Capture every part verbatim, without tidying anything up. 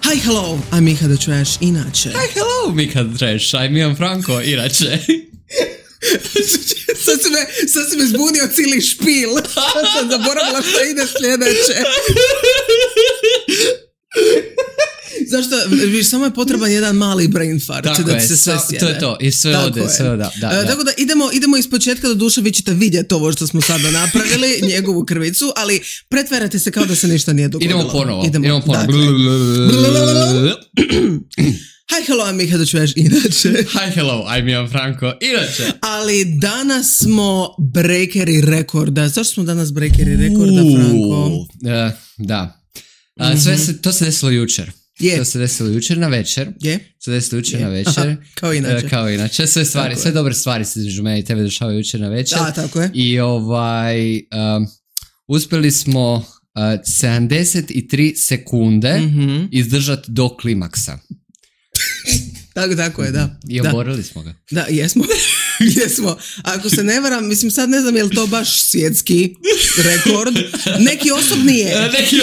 Hi, hello, I'm Miha the Trash, inače. Hi, hello, Miha the Trash, I'm Ivan Franko, inače. sad, si me, sad si me zbunio cijeli špil. Sad sam zaboravila što ide sljedeće. Zašto? Viš, samo je potreban jedan mali brain fart. Tako da je, se sve so, to je to. I sve tako ode, je. sve ode. Da, da. E, tako da idemo, idemo iz početka, do duše vi ćete vidjeti ovo što smo sada napravili, njegovu krvicu, ali pretvarate se kao da se ništa nije dogodilo. Idemo ponovo. Idemo, idemo ponovo. Dakle. Hi, hello, I'm Miha the Trash, inače. Hi, hello, I'm Ivan Franko, inače. Ali danas smo breakeri rekorda. Zašto smo danas breakeri rekorda, Franko? Uh, da. A, sve se, to se desilo jučer. Je. To se desilo jučer na večer. Je. Se desilo jučer Je. na večer. Aha, kao inače. E, kao inače. Sve stvari, Tako sve je. dobre stvari se između mene i tebe dešavaju jučer na večer. Da, tako je. I ovaj, um, uspjeli smo uh, sedamdeset tri sekunde Mhm. izdržati do klimaksa. Tako, tako je, da. I Da. oborili smo ga. Da, jesmo. Jesmo. Ako se ne varam, mislim sad ne znam je li to baš svjetski rekord. Neki osobni je. Neki,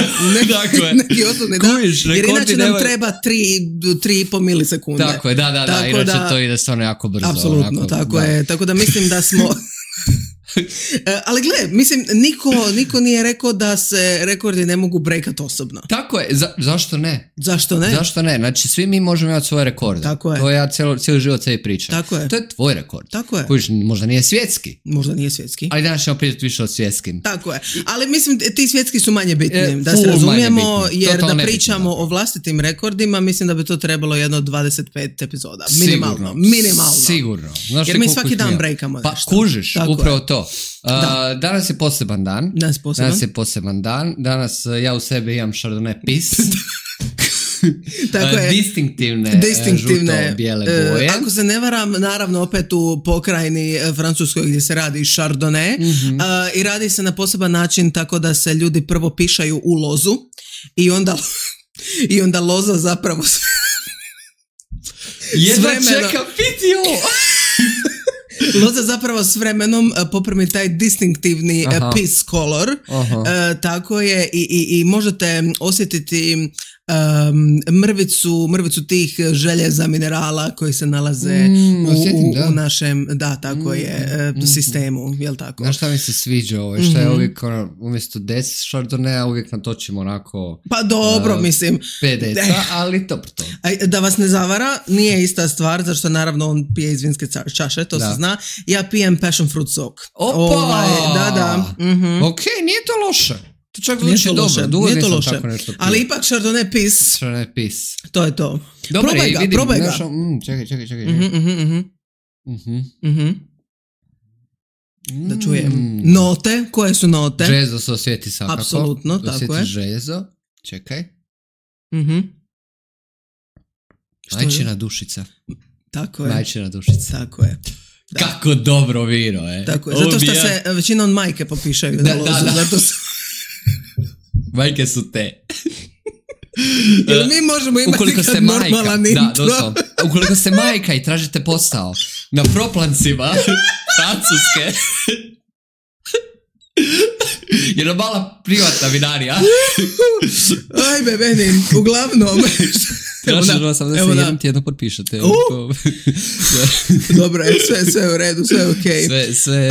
tako je. Neki osobni, da. Kužiš, Jer rekordi inače nam nemaju- treba tri, tri i pol milisekunde. Tako je, da, da, da. Tako Inače da- to ide stvarno jako brzo. Apsolutno, onako, tako da. je. Tako da mislim da smo... E, ali gle, mislim, niko, niko nije rekao da se rekordi ne mogu breakat osobno. Tako je, za, zašto ne? Zašto ne? Zašto ne? Znači, svi mi možemo imati svoje rekorde. Tako je. To ja cijelo, cijeli život sebi pričam. Tako je. To je tvoj rekord. Tako je. Kužiš, možda nije svjetski, Možda nije svjetski. ali danas ćemo pričati više o svjetskim. Tako je. Ali mislim, ti svjetski su manje bitni. E, da full se razumijemo, manje bitni. jer Totalno da nebitni, pričamo zapravo. o vlastitim rekordima, mislim da bi to trebalo jedno dvadeset pet epizoda. Sigurno, Minimalno. Minimalno. Sigurno. Znaš Jer ti mi koliko svaki ih dan ima? breakamo Pa nešto. kužiš, Tako upravo je. to. Uh, Da. danas je poseban dan. Danas poseban. Danas je poseban dan. Danas uh, ja u sebi imam Chardonnay Pis. Tako Uh, je. distinktivne, Distinktivne, žuto-bijele e, boje. ako se ne varam, naravno opet u pokrajini e, Francuskoj gdje se radi Chardonnay, Mhm. a, i radi se na poseban način tako da se ljudi prvo pišaju u lozu i onda, i onda loza zapravo s- Jedva vremena- čekam piti ovo. loza zapravo s vremenom e, poprimi taj distinktivni e, Aha. piss color. Aha. E, tako je i, i, i možete osjetiti um, mrvicu, mrvicu tih željeza, minerala koji se nalaze Mm, u, osjetim, u, da. u našem, da, tako Mm, je, e, mm, sistemu, jel tako? Znaš šta mi se sviđa ovo? Šta je Mhm. uvijek ono, umjesto deset Chardonnaya uvijek natočimo onako Pa dobro, A, mislim, pet deca, ali dobro to. a, da vas ne zavara, nije ista stvar, zašto naravno on pije iz vinske ca- čaše, to Da. se zna. Ja pijem passion fruit sok. Opa! Ovaj, da, da. Mhm. Ok, nije to loše. To čak Nije zvuči to dobro. loše, Dugo nije to nisam loše. tako nešto pio. Ali ipak Chardonnay Piss, Chardonnay Pis. to je to. Dobar, probaj i ga, vidim, probaj ga. znaš, mm, čekaj, čekaj, čekaj. Mhm, mhm, mhm, Mhm. mhm. Da čujem. Mm. Note, koje su note? Željezo se osjeti svakako. Apsolutno, tako Osjeti je. željezo. Čekaj. Mhm. Što je? Majčina dušica. Tako je. Majčina dušica. Tako je. Da. Kako dobro vino, e. Tako je. Zato što Ubija. se većinom majke popišaju Da, na da, lozu. da. Zato se, Majke su te. jer mi možemo imati Ukoliko kad ste majka, normalan da, intro. doslovno. Ukoliko ste majka i tražite posao na proplancima Francuske, jedna mala privatna vinarija. Ajme, meni, uglavnom. Evo da, Tražimo sam da se evo da. jednom tjedno potpišete. Uh! Dobro je, sve, sve u redu, sve ok. Sve, sve...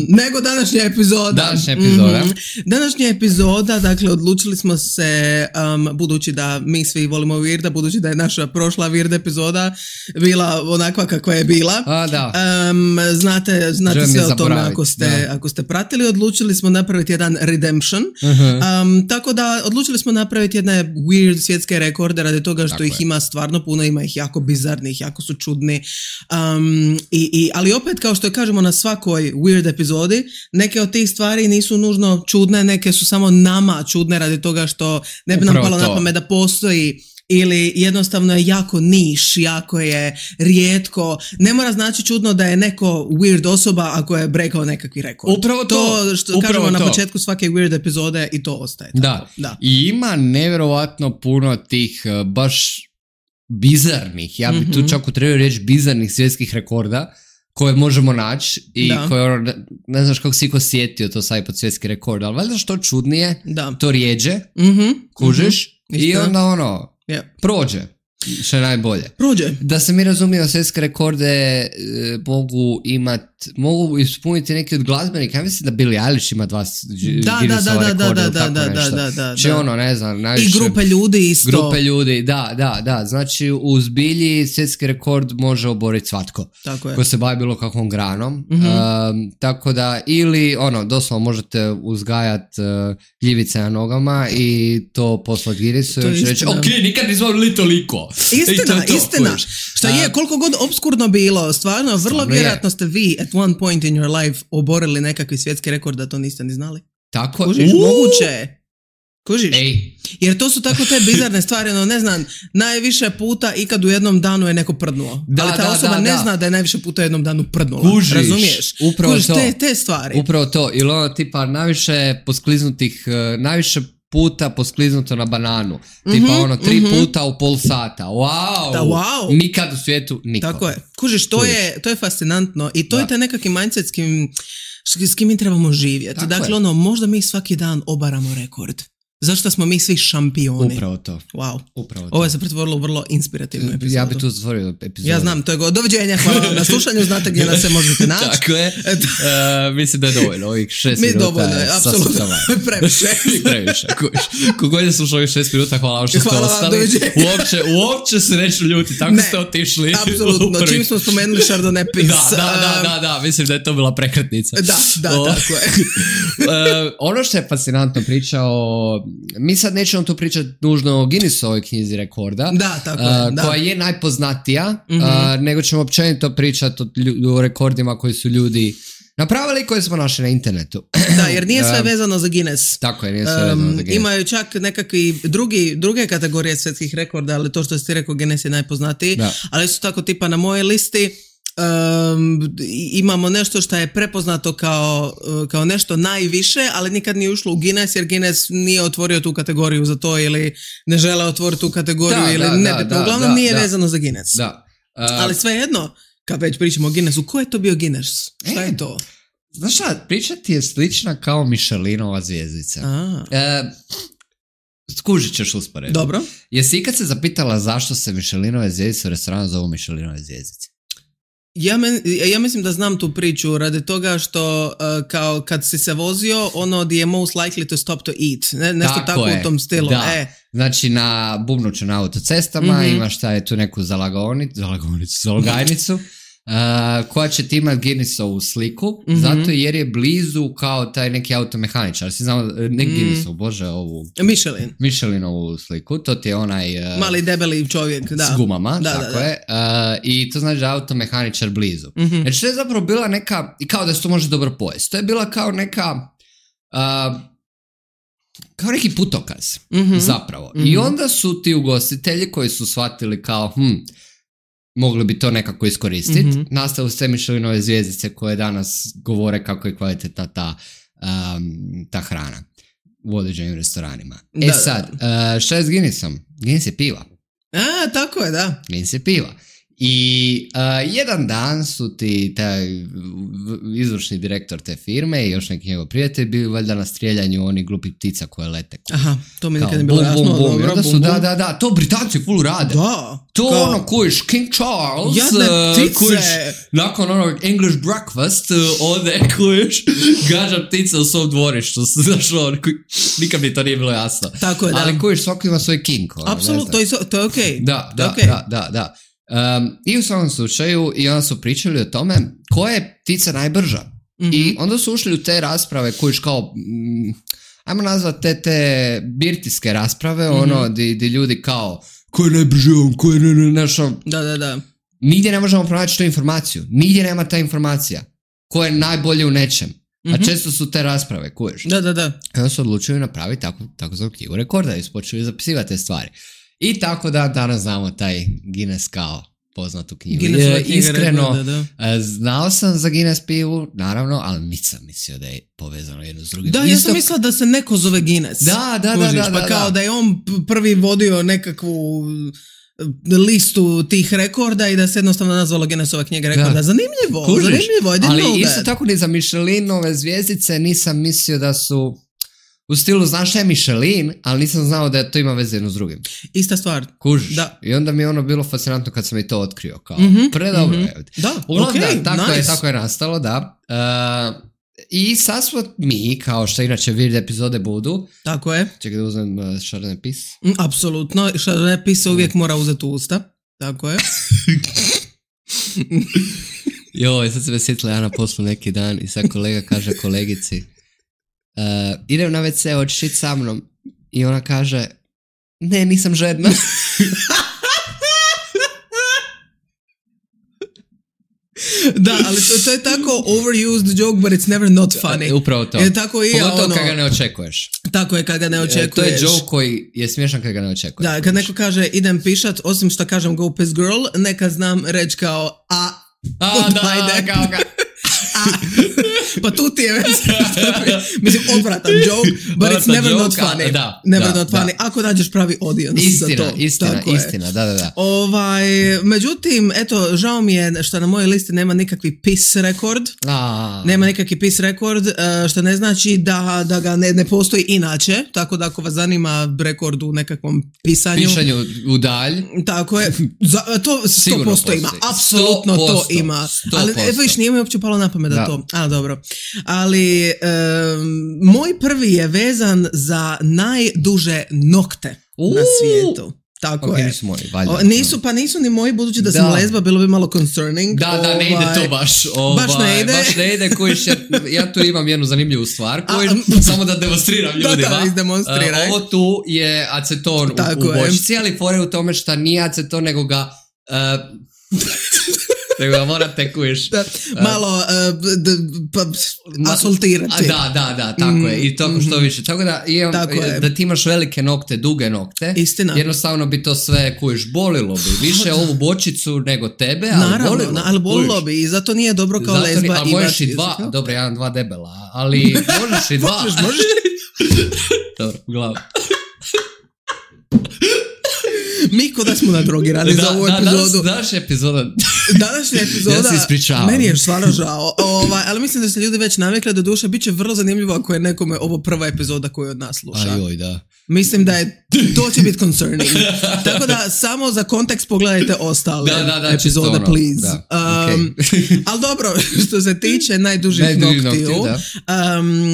Nego današnja epizoda. Današnja epizoda. Mhm. Današnja epizoda, dakle, odlučili smo se, um, budući da mi svi volimo Weirda, budući da je naša prošla Weird epizoda bila onakva kakva je bila. A, da. Um, znate znate Želim sve je o tome zaboraviti, ako ste, da. ako ste pratili, odlučili smo napraviti jedan redemption. Uh-huh. Um, tako da odlučili smo napraviti jedne weird svjetske rekorde radi toga što Tako ih je. ima stvarno puno, ima ih jako bizarnih, jako su čudni. Um, i, i, ali opet, kao što kažemo na svakoj weird epizodi, neke od tih stvari nisu nužno čudne, neke su samo nama čudne radi toga što ne bi nam Upravo palo to. na pamet da postoji ili jednostavno je jako niš, jako je rijetko. Ne mora znači čudno da je neko weird osoba ako je breakao nekakvi rekord. Upravo to. To što Upravo kažemo na to. početku svake weird epizode i to ostaje. Tako. Da. da. I ima nevjerovatno puno tih uh, baš bizarnih, ja bi Mhm. tu čak utrebio reći bizarnih svjetskih rekorda koje možemo naći i Da. koje, ono, ne, ne znaš kako si iko sjetio to sad pod svjetski rekord, ali valjda što čudnije, Da. to rijeđe, Mhm. kužiš, Mhm. i Isto. onda ono, Yeah. Prođe. Što je najbolje. Prođe. Da se mi razumijemo, svjetske rekorde e, mogu imat, mogu ispuniti neki od glazbenika. Ja mislim da Billie Eilish ima dva da, Guinnessova da, da, rekorda da, ili tako da, da, nešto. da, da, Či da. ono, ne znam, najviše... I grupe ljudi isto. Grupe ljudi, da, da, da. Znači, u zbilji svjetski rekord može oboriti svatko. Tako je. Ko se bavi bilo kakvom granom. Mm-hmm. Um, tako da, ili, ono, doslovno možete uzgajat uh, gljivice na nogama i to poslati Guinnessu i reći, ok, nikad nismo bili toliko. Istina, to, istina. Kojiš. Šta je, koliko god obskurno bilo, stvarno, vrlo Stvarno vjerojatno je. ste vi at one point in your life oborili nekakvi svjetski rekord da to niste ni znali. Tako. Kužiš, Uuu. moguće je. Kužiš? Ej. Jer to su tako te bizarne stvari, no ne znam, najviše puta ikad u jednom danu je neko prdnuo. Da, ali ta da, osoba da, ne da. zna da je najviše puta u jednom danu prdnula. Kužiš, razumiješ? upravo Kužiš, to. te, te stvari. Upravo to. Ili ono tipa najviše poskliznutih, uh, najviše puta poskliznuto na bananu. Tipa Mhm, ono tri mhm. puta u pol sata. Wow! Da, wow. Nikad u svijetu niko. Tako je. Kužiš, to Kužiš. je, to je fascinantno i to Da. je taj nekakvi mindset s kim, s kim mi trebamo živjeti. Tako dakle, je. ono, možda mi svaki dan obaramo rekord. Zašto smo mi svi šampioni? Upravo to. Wow. Upravo to. Ovo je se pretvorilo u vrlo inspirativnu epizodu. Ja bi tu zatvorio epizodu. Ja znam, to je go. Doviđenja, hvala vam na slušanju, znate gdje nas se možete naći. Tako je. Uh, mislim da je dovoljno, ovih šest Mi minuta. dovoljno je, apsolutno. Previše. Previše, kuš. Kogod je slušao ovih šest minuta, hvala vam što ste Hvala vam, ostali. doviđenja. Uopće, uopće se neću ljuti, tako Ne, ste otišli. Apsolutno, čim smo spomenuli Chardonnay Pis. Da, da, da, da, da, mislim da je to bila prekretnica. Da, da, O, tako je. uh, ono što je fascinantno pričao, mi sad nećemo tu pričati nužno o Guinnessovoj knjizi rekorda, Da, tako je, uh, da. koja je najpoznatija, Mhm. uh, nego ćemo općenito pričati o, lju- o rekordima koji su ljudi napravili i koje smo našli na internetu. Da, jer nije sve Um, vezano za Guinness. Tako je, nije sve vezano za Um, Guinness. imaju čak nekakvi drugi, druge kategorije svjetskih rekorda, ali to što si ti rekao, Guinness je najpoznatiji. Da. Ali su tako tipa na mojoj listi um, imamo nešto što je prepoznato kao, uh, kao nešto najviše, ali nikad nije ušlo u Guinness, jer Guinness nije otvorio tu kategoriju za to ili ne žele otvoriti tu kategoriju Da, ili da, nebitno. da, da, Uglavnom da, nije da. vezano za Guinness. Da. Uh, Ali svejedno, kad već pričamo o Guinnessu, ko je to bio Guinness? Šta E. je to? Znaš šta, priča ti je slična kao Michelinova zvjezdica. A, E, skužit ćeš usporedbu. dobro. Jesi ikad se zapitala zašto se Michelinove zvjezdice u restoranu zovu Michelinove zvjezdice? Ja, men, ja mislim da znam tu priču radi toga što uh, kao kad si se vozio, ono di je most likely to stop to eat. Ne, nešto Tako tako je, u tom stilu. da. E, Znači na bubnuću na autocestama Mhm. imaš taj tu neku zalagonicu, zalagonicu, zalogajnicu uh, koja će ti imati Guinnessovu sliku, Mhm. zato jer je blizu kao taj neki automehaničar. Si znao, ne Mm. Guinnessovu, bože, ovu Michelin. Michelinovu sliku, to ti je onaj uh, Mali debeli čovjek, da. s gumama, Da, tako da, da. je, uh, i to znači da je automehaničar blizu. Mhm. Znači to je zapravo bila neka, i kao da se to može dobro pojesti, to je bila kao neka, uh, kao neki putokaz, Mhm. zapravo. Mhm. I onda su ti ugostitelji koji su shvatili kao, hm, mogli bi to nekako iskoristiti, Mhm. nastale sve Michelinove zvjezdice koje danas govore kako je kvalitetna ta, um, ta hrana u određenim restoranima. Da, E da. sad, uh, šta je s Guinnessom? Guinness je piva. A, tako je, da. Guinness je piva. I uh, jedan dan su ti taj izvršni direktor te firme i još neki njegov prijatelj bili valjda na strijeljanju onih glupih ptica koje lete. Aha, to mi Kao nikad ne bilo bum, jasno. bum, bum. I dobro, onda su, bum, da, bum. da, da, to Britanci ful rade. Da. To kao- ono kojiš King Charles, Jadne uh, ptice. kojiš nakon onog English breakfast, uh, ode kojiš gađa ptice u svom dvorištu. Znaš, ono, koji- nikad mi to nije bilo jasno. Tako je, da. Ali kojiš svako ima svoj king. Ono, ne Apsolutno, znam. to je, so- to je okej. Da, To je da, okej. da, da, da. Um, I u svakom slučaju, i onda su pričali o tome koja je ptica najbrža. Mhm. I onda su ušli u te rasprave kojiš kao, mm, ajmo nazvati te, te birtijske rasprave, Mhm. ono, di, di ljudi kao, ko je najbrži on, ko je ne, ne, znaš, ono, Da, da, da. nigdje ne možemo pronaći tu informaciju. Nigdje nema ta informacija. Ko je najbolje u nečem. A Mhm. često su te rasprave, kuješ. Da, da, da. I onda su odlučili napraviti tako, tako za knjigu rekorda i su počeli zapisivati te stvari. I tako da danas znamo taj Guinness kao poznatu knjigu. Guinnessova E, knjiga Iskreno, rekorda, da. e, znao sam za Guinness pivu, naravno, ali nisam mislio da je povezano jedno s drugim. Da, ja Isto- sam mislila da se neko zove Guinness. Da, da, da, Kužiš, da, pa da, kao da. da je on p- prvi vodio nekakvu e, listu tih rekorda i da se jednostavno nazvalo Guinnessova knjiga rekorda. Da. Zanimljivo, Kužiš? zanimljivo, I didn't Ali know isto that. tako ni za Michelinove zvjezdice nisam mislio da su U stilu, znaš šta je Michelin, ali nisam znao da to ima veze jedno s drugim. Ista stvar. Kužiš? Da. I onda mi je ono bilo fascinantno kad sam i to otkrio. Kao, mm-hmm, predobro mm-hmm. je. Da, Uglavnom, okay, da, tako, nice. je, tako je nastalo, da. Uh, I sad smo mi, kao što inače weird epizode budu. Tako je. Čekaj da uzmem uh, Chardonnay pis. Mm, apsolutno. Chardonnay pis se uvijek mora uzeti u usta. Tako je. Joj, sad se me sjetila ja na poslu neki dan i sad kolega kaže kolegici uh, idem na ve ce, hoćeš ići sa mnom? I ona kaže ne, nisam žedna. Da, ali to, to je tako overused joke, but it's never not funny. Upravo to. Je tako i Pogotovo ono, kad ga ne očekuješ. Tako je, kad ga ne očekuješ. To je joke koji je smiješan kad ga ne očekuješ. Da, kad neko kaže idem pišat, osim što kažem go piss girl, neka znam reći kao a, a da, kao ga. A, pa tu ti je već, mislim, odvratan joke, but it's never joke, not funny. Da, never da, not funny, da. Ako nađeš pravi audience istina, za to. Istina, tako istina, je. da, da, da. Ovaj, međutim, eto, žao mi je što na mojoj listi nema nikakvi piss rekord. A. Nema nikakvi piss rekord, što ne znači da, da ga ne, ne postoji inače, tako da ako vas zanima rekord u nekakvom pisanju. Pišanju u dalj. Tako je, za, to sto posto ima, apsolutno to ima. Ali evo iš, nije mi uopće palo na pamet da, da to, a dobro. Ali um, moj prvi je vezan za najduže nokte uh, na svijetu. Tako okay, je. Nisu moji, valjda. O, nisu, pa nisu ni moji, budući da, da sam lezba, bilo bi malo concerning. Da, da, ne ide to baš. Ovaj, baš ne ide. Baš ne ide, kojiš, ja, ja tu imam jednu zanimljivu stvar, kojiš, a, samo da demonstriram ljudima. Da, da, izdemonstriraj. Uh, ovo tu je aceton u, u bočici, ali fore u tome što nije aceton, nego ga... Uh, nego ga morate kujiš. Da, malo uh, d, pa, asoltirati. Da, da, da, tako mm, je. I to što više. Tako da, imam, tako da ti imaš velike nokte, duge nokte. Istina. Jednostavno bi to sve kujiš, bolilo bi. Više ovu bočicu nego tebe, ali naravno, bolilo. Na, ali bolilo bi i zato nije dobro kao zato lezba. Ali možeš i dva, izdaka. Dobro, ja imam dva debela, ali možeš i dva. možeš, možeš. Dobro, uglavnom. Mi ko da smo nadrogirani da, za ovu da, epizodu. Današnja epizoda. Današnja epizoda. Ja se ispričavam. Meni je stvarno žao. Ovaj, ali mislim da se ljudi već navikli, da duše bit će vrlo zanimljivo ako je nekome ovo prva epizoda koju od nas sluša. Ajoj, da. Mislim da je, to će biti concerning. Tako da samo za kontekst pogledajte ostale da, da, da, epizode, ono, please. Da, um, okay. Ali dobro, što se tiče najdužih Najduži noktiju, nokti,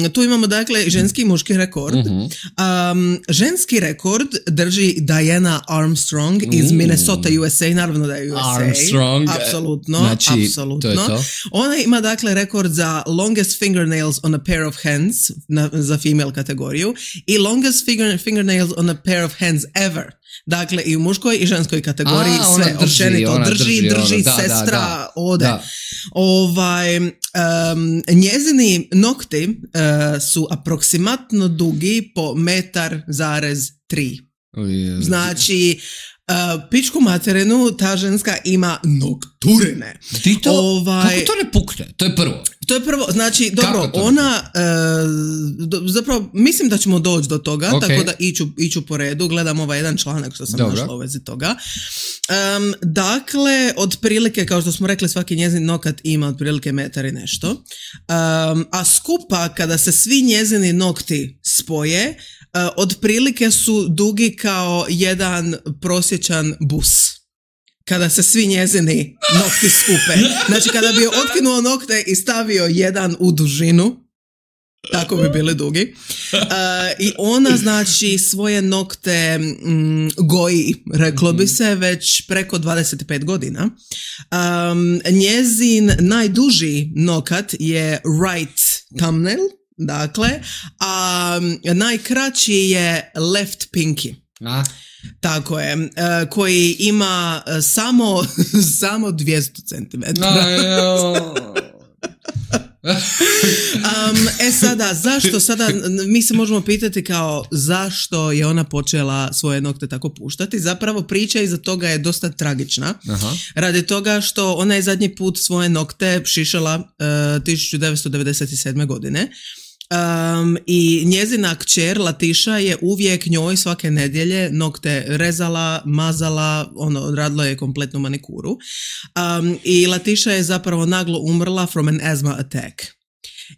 um, tu imamo dakle ženski i muški rekord. Uh-huh. Um, ženski rekord drži Diana Armstrong iz uh. Minnesota, U S A, naravno da je U S A. Armstrong. Apsolutno, znači, apsolutno. to je to. Ona ima dakle rekord za longest fingernails on a pair of hands na, za female kategoriju i longest finger, fingernails on a pair of hands ever. Dakle, i u muškoj i ženskoj kategoriji a, sve drži, općenito drži, drži, drži ono, da, sestra, da, da, ode. Da. Ovaj, um, njezini nokti uh, su aproksimatno dugi po metar zarez tri. Znači, uh, pičku materinu ta ženska ima nokturine. Ti to, ovaj, kako to ne pukne? To je prvo. To je prvo, znači, dobro, ona, uh, do, zapravo, mislim da ćemo doći do toga, okay. Tako da iću, iću po redu, gledam ovaj jedan članak što sam dobro. Našla u vezi toga. Um, dakle, otprilike, kao što smo rekli, svaki njezin nokat ima otprilike metar i nešto, um, a skupa, kada se svi njezini nokti spoje, uh, otprilike su dugi kao jedan prosječan bus. Kada se svi njezini nokti skupe. Znači, kada bi otkinuo nokte i stavio jedan u dužinu, tako bi bili dugi. Uh, I ona, znači, svoje nokte mm, goji, reklo bi se, već preko dvadeset pet godina. Um, njezin najduži nokat je right thumbnail, dakle, a najkraći je left pinky. A? Tako je, uh, koji ima uh, samo, samo dvjesto centimetara. um, e sada, zašto sada, mi se možemo pitati kao zašto je ona počela svoje nokte tako puštati. Zapravo priča iza toga je dosta tragična. Aha. Radi toga što ona je zadnji put svoje nokte šišala uh, tisuću devetsto devedeset sedme godine. Um, i njezina kćer Latiša je uvijek njoj svake nedjelje nokte rezala, mazala, ono, odradila je kompletnu manikuru. Um, i Latiša je zapravo naglo umrla from an asthma attack.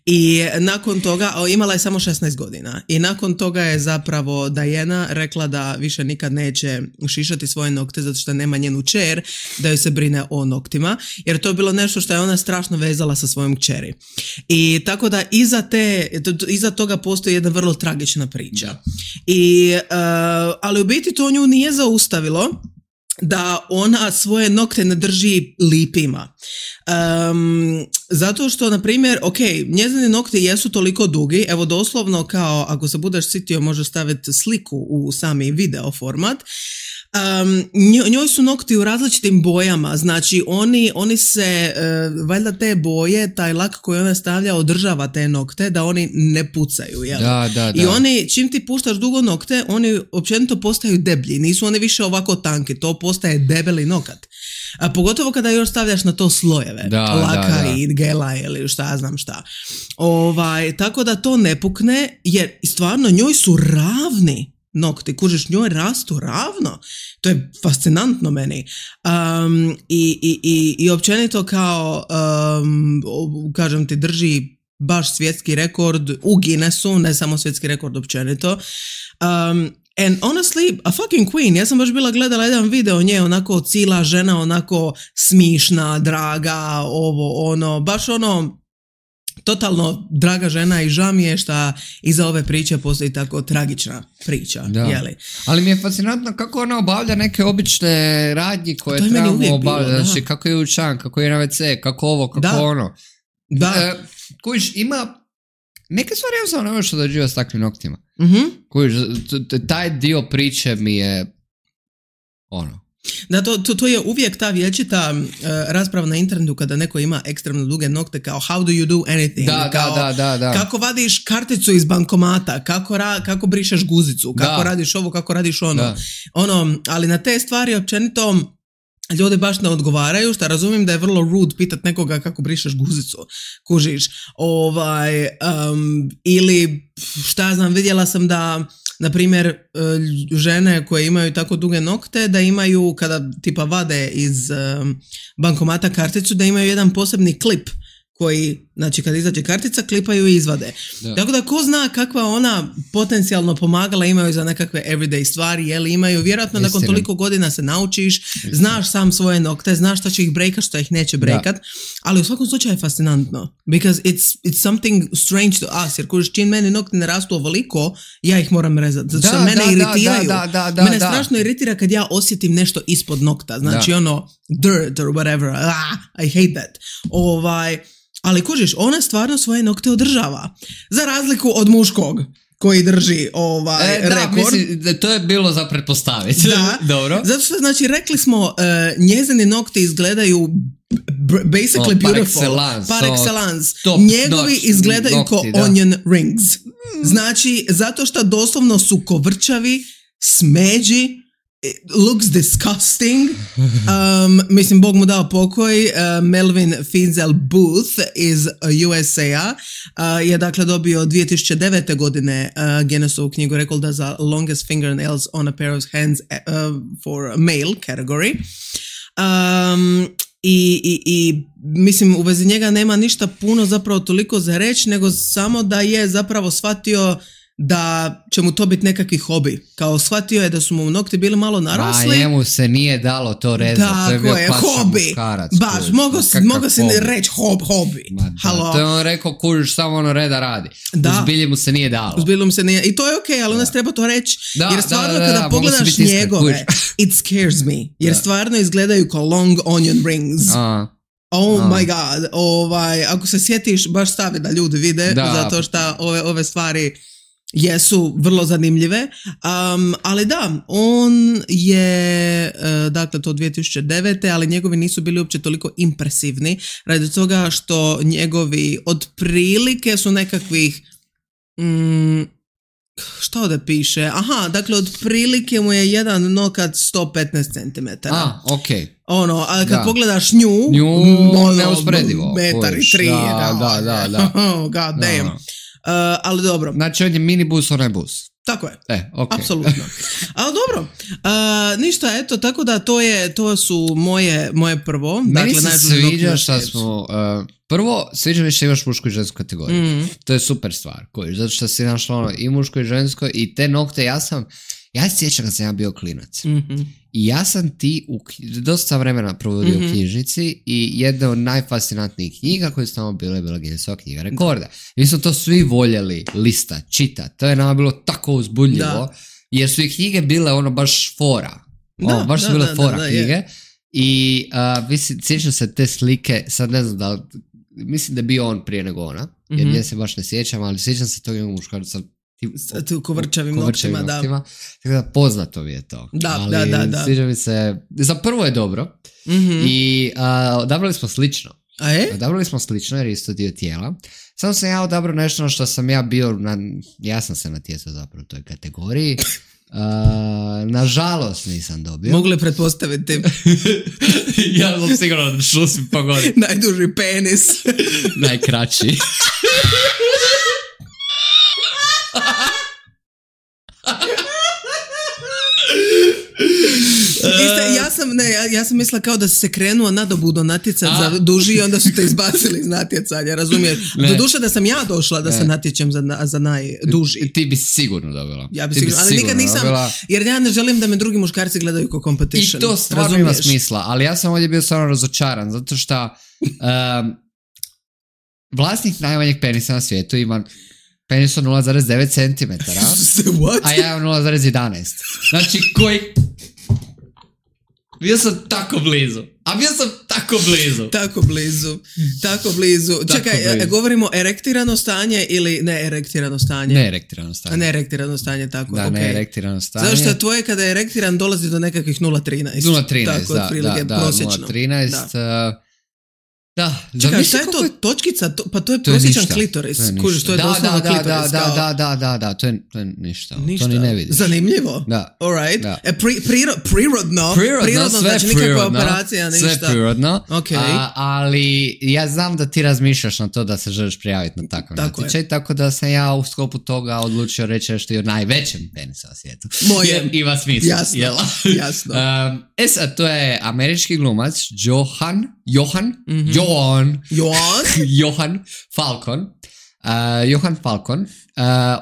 I nakon toga, o, imala je samo šesnaest godina i nakon toga je zapravo Diana rekla da više nikad neće šišati svoje nokte zato što nema njenu kćer da joj se brine o noktima, jer to je bilo nešto što je ona strašno vezala sa svojom kćeri. I tako da iza, te, iza toga postoji jedna vrlo tragična priča. I, uh, ali u biti to nju nije zaustavilo da ona svoje nokte ne drži lipima. Um, zato što, na primjer, ok, njezini nokti jesu toliko dugi, evo doslovno kao, ako se budeš sitio, možeš staviti sliku u sami video format. Um, njoj su nokti u različitim bojama, znači oni, oni se, uh, valjda te boje, taj lak koji ona stavlja održava te nokte da oni ne pucaju, jel? Da, da, da. I oni, čim ti puštaš dugo nokte, oni općenito postaju deblji, nisu oni više ovako tanki, to postaje debeli nokat. A pogotovo kada još stavljaš na to slojeve, da, laka da, da. i gela ili šta ja znam šta. Ovaj, tako da to ne pukne, jer stvarno njoj su ravni nokti, kužiš, njoj rastu ravno. To je fascinantno meni. Um, i, i, i, I općenito kao, um, kažem ti, drži baš svjetski rekord u Guinnessu, ne samo svjetski rekord općenito. Um, and honestly, a fucking queen. Ja sam baš bila gledala jedan video nje, onako cijela žena, onako smišna, draga, ovo, ono, baš ono, totalno draga žena i žao mi je šta iza ove priče postoji tako tragična priča. Jeli? Ali mi je fascinantno kako ona obavlja neke obične radnji koje je trebamo obavljati. Znači, kako je učan, kako je na ve ce, kako ovo, kako da. ono. Da. E, kužiš, ima neke stvari jednostavno ne možeš odrađivati s takvim noktima. Mm-hmm. Kužiš, taj dio priče mi je ono. Da, to, to, to je uvijek ta vječita uh, rasprava na internetu kada neko ima ekstremno duge nokte, kao how do you do anything, da, kao da, da, da. kako vadiš karticu iz bankomata, kako, ra, kako brišeš guzicu, kako da. radiš ovo, kako radiš ono. Da. ono. Ali na te stvari općenito ljudi baš ne odgovaraju, što razumijem da je vrlo rude pitat nekoga kako brišeš guzicu, kužiš. Ovaj, um, ili šta znam, vidjela sam da na primjer, žene koje imaju tako duge nokte, da imaju, kada tipa vade iz bankomata karticu, da imaju jedan posebni klip koji, znači kad izađe kartica, klipaju i izvade. Da. Tako da ko zna kakva ona potencijalno pomagala imaju za nekakve everyday stvari, jel imaju, vjerojatno nakon toliko godina se naučiš, Istina. Znaš sam svoje nokte, znaš šta će ih brejkat, šta ih neće brejkat, da. Ali u svakom slučaju je fascinantno, because it's, it's something strange to us, jer kužiš, čim meni nokti ne rastu ovoliko, ja ih moram rezati, zato što da, mene da, iritiraju. Da, da, da, mene da. strašno iritira kad ja osjetim nešto ispod nokta, znači da. Ono, dirt or whatever, ah, I hate that. Ovaj, ali kužiš, ona stvarno svoje nokte održava. Za razliku od muškog koji drži ovaj e, da, rekord. Mislim, da to je bilo za pretpostaviti. Da, dobro. Zato što, znači, rekli smo, uh, njezini nokti izgledaju basically oh, beautiful. Par excellence. Par excellence. So, njegovi notch, izgledaju ko nokti, onion rings. Znači, zato što doslovno su kovrčavi, smeđi, it looks disgusting. Um, mislim, Bog mu dao pokoj. Uh, Melvin Feinsel Booth iz U S A uh, je dakle dobio dvije tisuće devete godine uh, Guinnessovu knjigu rekorda za longest fingernails on a pair of hands uh, for a male category. Um, i, i, i mislim, u vezi njega nema ništa puno zapravo toliko za reći, nego samo da je zapravo shvatio da će mu to biti nekakvi hobi. Kao shvatio je da su mu nokti bili malo narasli. A njemu se nije dalo to rezati. Da, to je bio je, hobi. Muškarac, baš, mogo si, mogo si reći hob, hobi. Da, to je on rekao, kužiš, samo ono reda radi. Da. Uzbilje mu se nije dalo. Uzbilje mu se nije. I to je okej, okay, ali da. Nas treba to reći. Da, jer stvarno da, da, da, kada da, pogledaš njegove, it scares me. Jer da. Stvarno izgledaju kao long onion rings. A. Oh A. my god. Ovaj, ako se sjetiš, baš stavi da ljudi vide, da. Zato što ove, ove stvari jesu vrlo zanimljive, um, ali da, on je uh, dakle to dvije tisuće devete ali njegovi nisu bili uopće toliko impresivni radi toga što njegovi otprilike su nekakvih mm, što ovdje piše, aha, dakle otprilike mu je jedan nokat sto petnaest centimetara. A, okej. Okay. Ono, a kad da. Pogledaš nju, nju ono, neusporedivo. Metar i tri. Da, da, da, da. Oh, god damn. Da. Uh, ali dobro. Znači on je minibus, on je bus. Tako je. E, okay. Apsolutno. Ali dobro. Uh, ništa, eto, tako da to je, to su moje, moje prvo. Meni dakle, se sviđa što smo, uh, prvo, sviđa mi što imaš mušku i žensku kategoriju. Mm. To je super stvar. Koji, zato što si našla ono i muško i žensko i te nokte, ja sam, ja se sjećam kad sam ja bio klinac. Mm-hmm. I ja sam ti u, dosta vremena provodio mm-hmm. u knjižnici i jedna od najfascinantnijih knjiga koje su tamo bile, bila Guinnessova knjiga rekorda. Mi smo to svi voljeli lista, čita. To je nama bilo tako uzbudljivo, da. Jer su i knjige bile ono baš fora. Da, ono, baš da, su bile da, fora da, da, knjige. Je. I uh, mislim, sjećam se te slike, sad ne znam da li, mislim da je bio on prije nego ona, jer mm-hmm. nje se baš ne sjećam, ali sjećam se tog jednog muškarca u kovrčavim noktima, da. Tako da poznato mi je to. Da, ali da, da, da. Sviđa mi se, za prvo je dobro mm-hmm. i uh, odabrali smo slično. A je? Odabrali smo slično jer je isto dio tijela. Samo sam ja odabrao nešto na što sam ja bio, na, ja sam se natjecao zapravo u toj kategoriji. Uh, nažalost nisam dobio. Mogu li pretpostaviti? Ja sam sigurno da šusim pogodi. Najduži penis. Najkraći. Iste, ja sam ne, ja, ja sam mislila kao da si se krenuo nadobudno natjecat A? za duži i onda su te izbacili iz natjecanja, razumiješ? Do duše da sam ja došla da ne. se natječem za, za najduži. Ti bi sigurno dobila. Ja bi sigurno, ali sigurno nikad nisam, dobila. Jer ja ne želim da me drugi muškarci gledaju kao competition. I to stvarno razumiješ? Ima smisla, ali ja sam ovdje bio stvarno razočaran, zato što um, vlasnik najmanjeg penisa na svijetu ima penis od nula zarez devet centimetara, a ja imam nula zarez jedanaest. Znači, koji... Bio sam tako blizu. A bio sam tako blizu. Tako blizu. Tako blizu. Tako Čekaj, blizu. Govorimo erektirano stanje ili ne erektirano stanje? Ne erektirano stanje. A ne erektirano stanje, tako. Da, okay. ne erektirano stanje. Zato što tvoje kada je erektiran dolazi do nekakvih nula zarez trinaest. nula zarez trinaest, tako, da, da, da, prosječno. nula zarez trinaest. Da. Uh, Da, čekaj, šta je to je... točkica? To, pa to je, to je prosječan ništa. klitoris. Kužiš, to je da, doslovno da, klitoris. Da, da, da, da, da, to je, to je ništa. ništa. To ni ne vidiš. Zanimljivo. Da. Alright. Da. E, pri, priro, prirodno. Prirodno, prirodno sve znači prirodno. nikakva operacija, ništa. Sve prirodno. Okay. A, ali ja znam da ti razmišljaš na to da se želiš prijaviti na takav tako natječaj, je. Tako da sam ja u sklopu toga odlučio reći nešto i o najvećem penisu na svijetu. Moje. Jer ima smisla. Jasno. Jela? Jasno. um, e sad, to je američki glumac Johan, Johan, mm-hmm. Johan, Johan? Johan Falcon. Uh, Johan Falcon. Uh,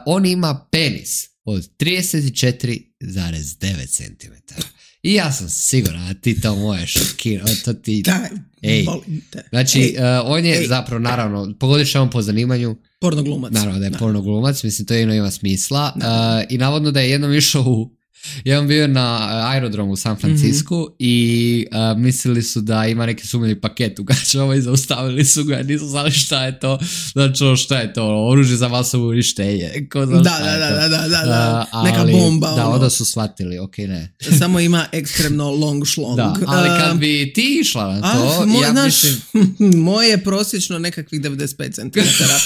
on ima penis od trideset četiri zarez devet centimetara. I ja sam siguran da ti to možeš šokirati. To ti... Daj, Ej. molim te. Znači, Ej. uh, on je Ej. zapravo, naravno, pogodiš on po zanimanju. Pornoglumac. Naravno da je da. pornoglumac, mislim, to jedno ima smisla. Uh, I navodno da je jednom išao u Ja sam bio na aerodromu u San Francisku mm-hmm. i uh, mislili su da ima neki sumnjivi paket u gačama i zaustavili su ga, nisu znali šta je to, znači šta je to, oružje za masovo uništenje. Ko zna da, šta da, je da, to. da, da, da, da. Uh, ali, neka bomba. Da, ono. onda su shvatili, ok, ne. Samo ima ekstremno long šlong. Da, ali kad bi ti išla na to, ah, moj, ja naš, mislim... moje je prosječno nekakvih devedeset pet centimetara.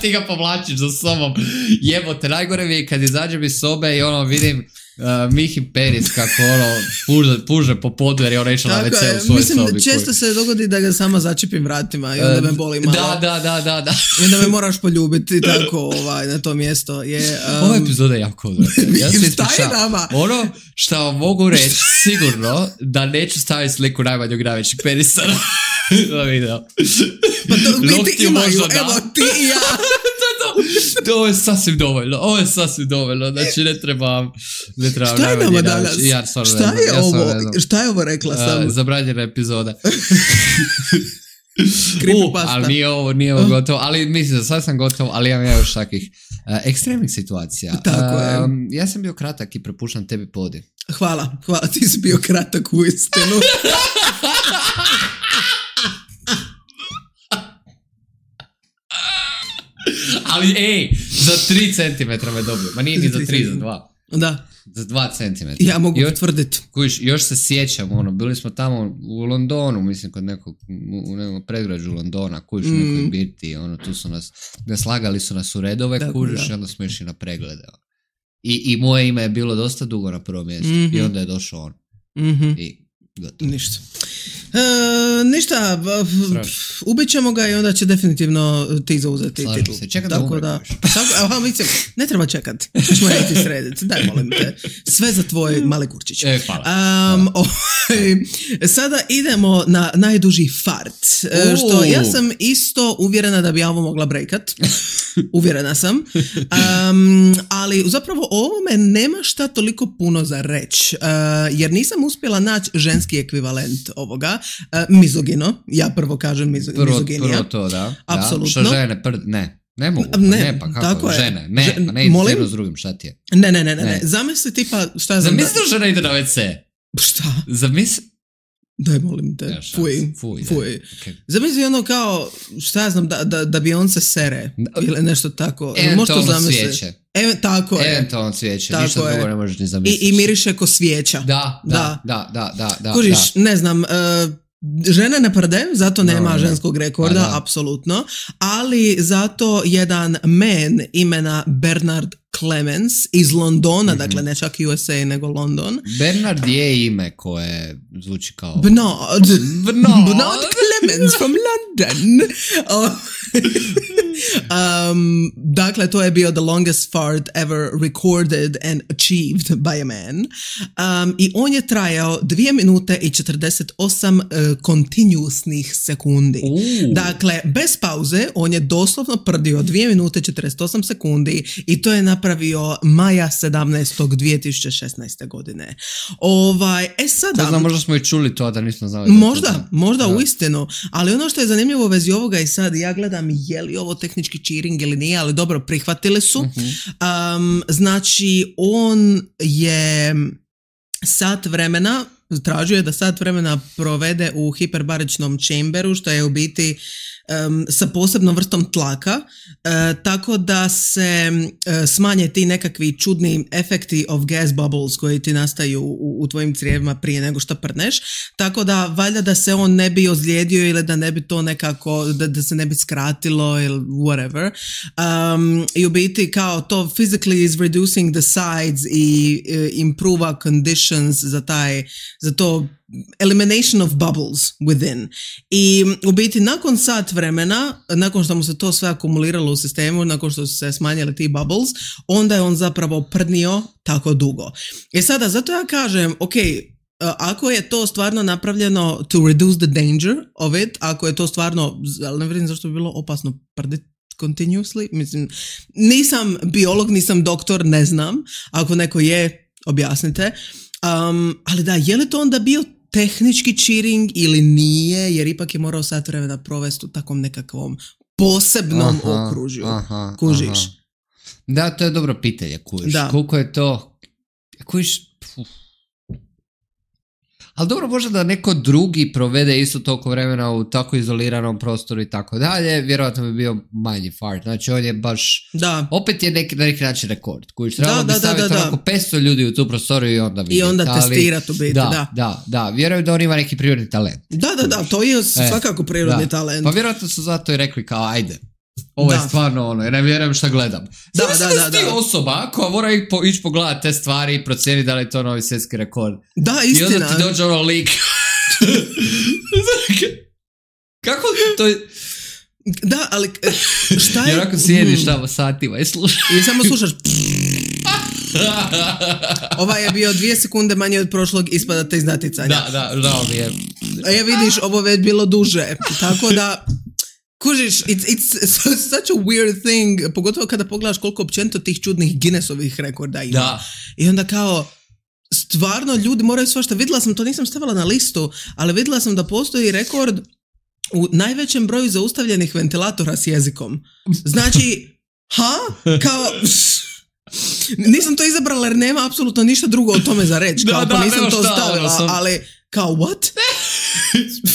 Ti ga povlačiš za sobom. Jebote, najgore mi je kad izađem iz sobe i ono vidim Uh, Mihi Peris kako ono puže, puže po podu jer je ona išla na ve ce u svojoj mislim, sobi. Mislim, često koji... se dogodi da ga sama začepim vratima i onda me boli malo. Da, da, da, da, da. I onda me moraš poljubiti tako ovaj, na to mjesto. Je, um... Ova epizoda je jako dobra. Ja se ispričavam. Ono što vam mogu reći sigurno da neću staviti sliku najmanjeg najvećeg penisa na video. Pa to biti imaju, evo ti i ja. Ovo je sasvim dovoljno, ovo je sasvim dovoljno, znači ne trebam, ne trebam šta je nama danas? Ja, šta je ja ovo? Šta je ovo rekla sam? Uh, zabranjena epizoda. uh, ali nije ovo, nije ovo gotovo, ali mislim da sad sam gotov, ali imam ja još takvih uh, ekstremnih situacija. Tako je. Um, ja sam bio kratak i prepuštam tebi podi. Hvala, hvala, ti si bio kratak u istinu. Ali ej, za tri centimetra me dobio. Ma nije ni za tri, za dva. Da. Za dva centimetra. Ja mogu potvrditi. Kuš, još se sjećam, ono, bili smo tamo u Londonu, mislim, kod nekog, u nekom predgrađu Londona, kuš, mm. nekoj birti, ono, tu su nas, slagali su nas u redove, da, kužiš, i onda smo išli na preglede. I, I moje ime je bilo dosta dugo na prvom mjestu. Mm-hmm. I onda je došao on. Mm-hmm. I gotovo. Ništa. E, ništa, ubit ćemo ga i onda će definitivno ti zauzeti titul. Se, čekam da umre. Da, aha, mislim, ne treba čekat. Češ moja ti srediti. Daj, molim te. Sve za tvoj mali kurčić. E, hvala. Um, hvala. Sada idemo na najduži fart. Uh. Što ja sam isto uvjerena da bi ja ovo mogla breakat. Uvjerena sam. Um, ali zapravo o ovome nema šta toliko puno za reći. Uh, jer nisam uspjela naći ženski ekvivalent ovoga. Uh, mizogino. Ja prvo kažem mizo, prvo, mizoginija. Prvo to, da. Apsolutno. Da. Što žene, pr... ne. Ne mogu, pa ne, ne, pa kako, tako žene, je. ne, Žen, pa ne ide molim? jedno s drugim, šta ti je? Ne, ne, ne, ne, ne. ne. Zamisli tipa, šta ja znam... Zamisli da žena ide na ve ce. Šta? Zamisli... Daj, molim te, ja, fuj, fuj. fuj. Okay. Zamisli ono kao, šta ja znam, da, da, da bi on se sere, ili nešto tako. Eventualno svijeće. Ev, tako je. Eventualno svijeće, tako ništa je. drugo ne možeš ni zamisliti. I, i miriše ko svijeća. Da, da, da, da, da. da Kužiš, da. ne znam... Uh, žene ne prde, zato nema no, ženskog rekorda, da. apsolutno, ali zato jedan man imena Bernard Clemens iz Londona, mm-hmm. dakle ne čak U S A nego London. Bernard je ime koje zvuči kao... Bernard. Bernard. Bernard Clemens from London. um, dakle, to je bio the longest fart ever recorded and achieved by a man. Um, I on je trajao dvije minute i četrdeset osam uh, continuousnih sekundi. Uh. Dakle, bez pauze, on je doslovno prdio dvije minute i četrdeset osam sekundi i to je napravio maja sedamnaestog dvije tisuće šesnaeste. godine. Ovaj, e sada... Ko zna, možda smo i čuli to, da nismo znali. Možda, to možda da. uistinu. Ali ono što je zanimljivo u vezi ovoga i sad, ja gledam je li ovo tehnički cheating ili nije, ali dobro, prihvatili su. Uh-huh. Um, znači, on je sat vremena, tražio je da sat vremena provede u hiperbaričnom chamberu, što je u biti um, sa posebnom vrstom tlaka, uh, tako da se uh, smanje ti nekakvi čudni efekti of gas bubbles koji ti nastaju u, u tvojim crijevima prije nego što prdneš, tako da valjda da se on ne bi ozlijedio ili da ne bi to nekako, da, da se ne bi skratilo ili whatever. Um, I u biti kao to physically is reducing the sides i uh, improve conditions za taj, za to elimination of bubbles within. I u biti nakon sat vremena, nakon što mu se to sve akumuliralo u sistemu, nakon što su se smanjili ti bubbles, onda je on zapravo prdnio tako dugo. I sada, zato ja kažem, ok, ako je to stvarno napravljeno to reduce the danger of it, ako je to stvarno, ali ne vidim zašto bi bilo opasno prditi continuously, mislim, nisam biolog, nisam doktor, ne znam, ako neko je, objasnite. Um, ali da, je li to onda bio tehnički cheating ili nije, jer ipak je morao sat vremena provesti u takvom nekakvom posebnom aha, okružju. Aha, kužiš? Aha. Da, to je dobro pitanje, kužiš. Da. Koliko je to, kužiš, puf. Ali dobro, možda da neko drugi provede isto toliko vremena u tako izoliranom prostoru i tako dalje, vjerojatno bi bio manji fart. Znači on je baš, da. Opet je neki, na neki način rekord. Kužiš, trebalo da, bi staviti onako petsto ljudi u tu prostoriju i onda vidjeti. I onda testirati u biti, da. Da, da, da. Vjerujem da on ima neki prirodni talent. Da, da, da, to je svakako prirodni e, talent. Pa vjerojatno su zato i rekli kao ajde. Ovo je da. Stvarno ono, ja ne vjerujem šta gledam. Da, Znači, da, da, da, da. osoba koja mora po, ići pogledati te stvari i procijeniti da li je to novi svjetski rekord. Da, istina. I onda ti dođe ono lik. Kako to je... Da, ali šta je... Jer ako sjediš tamo satima i slušaš. I samo slušaš... Ovaj je bio dvije sekunde manje od prošlog, ispadate iz naticanja. Da, da, žao mi je. A ja vidiš, ovo već bilo duže. Tako da... Kužiš, it's, it's such a weird thing, pogotovo kada pogledaš koliko općenito tih čudnih Guinnessovih rekorda ima. Da. I onda kao, stvarno ljudi moraju svašta, vidjela sam, to nisam stavila na listu, ali vidjela sam da postoji rekord u najvećem broju zaustavljenih ventilatora s jezikom. Znači, ha? Kao... Nisam to izabrala jer nema apsolutno ništa drugo o tome za reći. Kao, da, pa nisam da, to šta, stavila, sam... ali kao, what?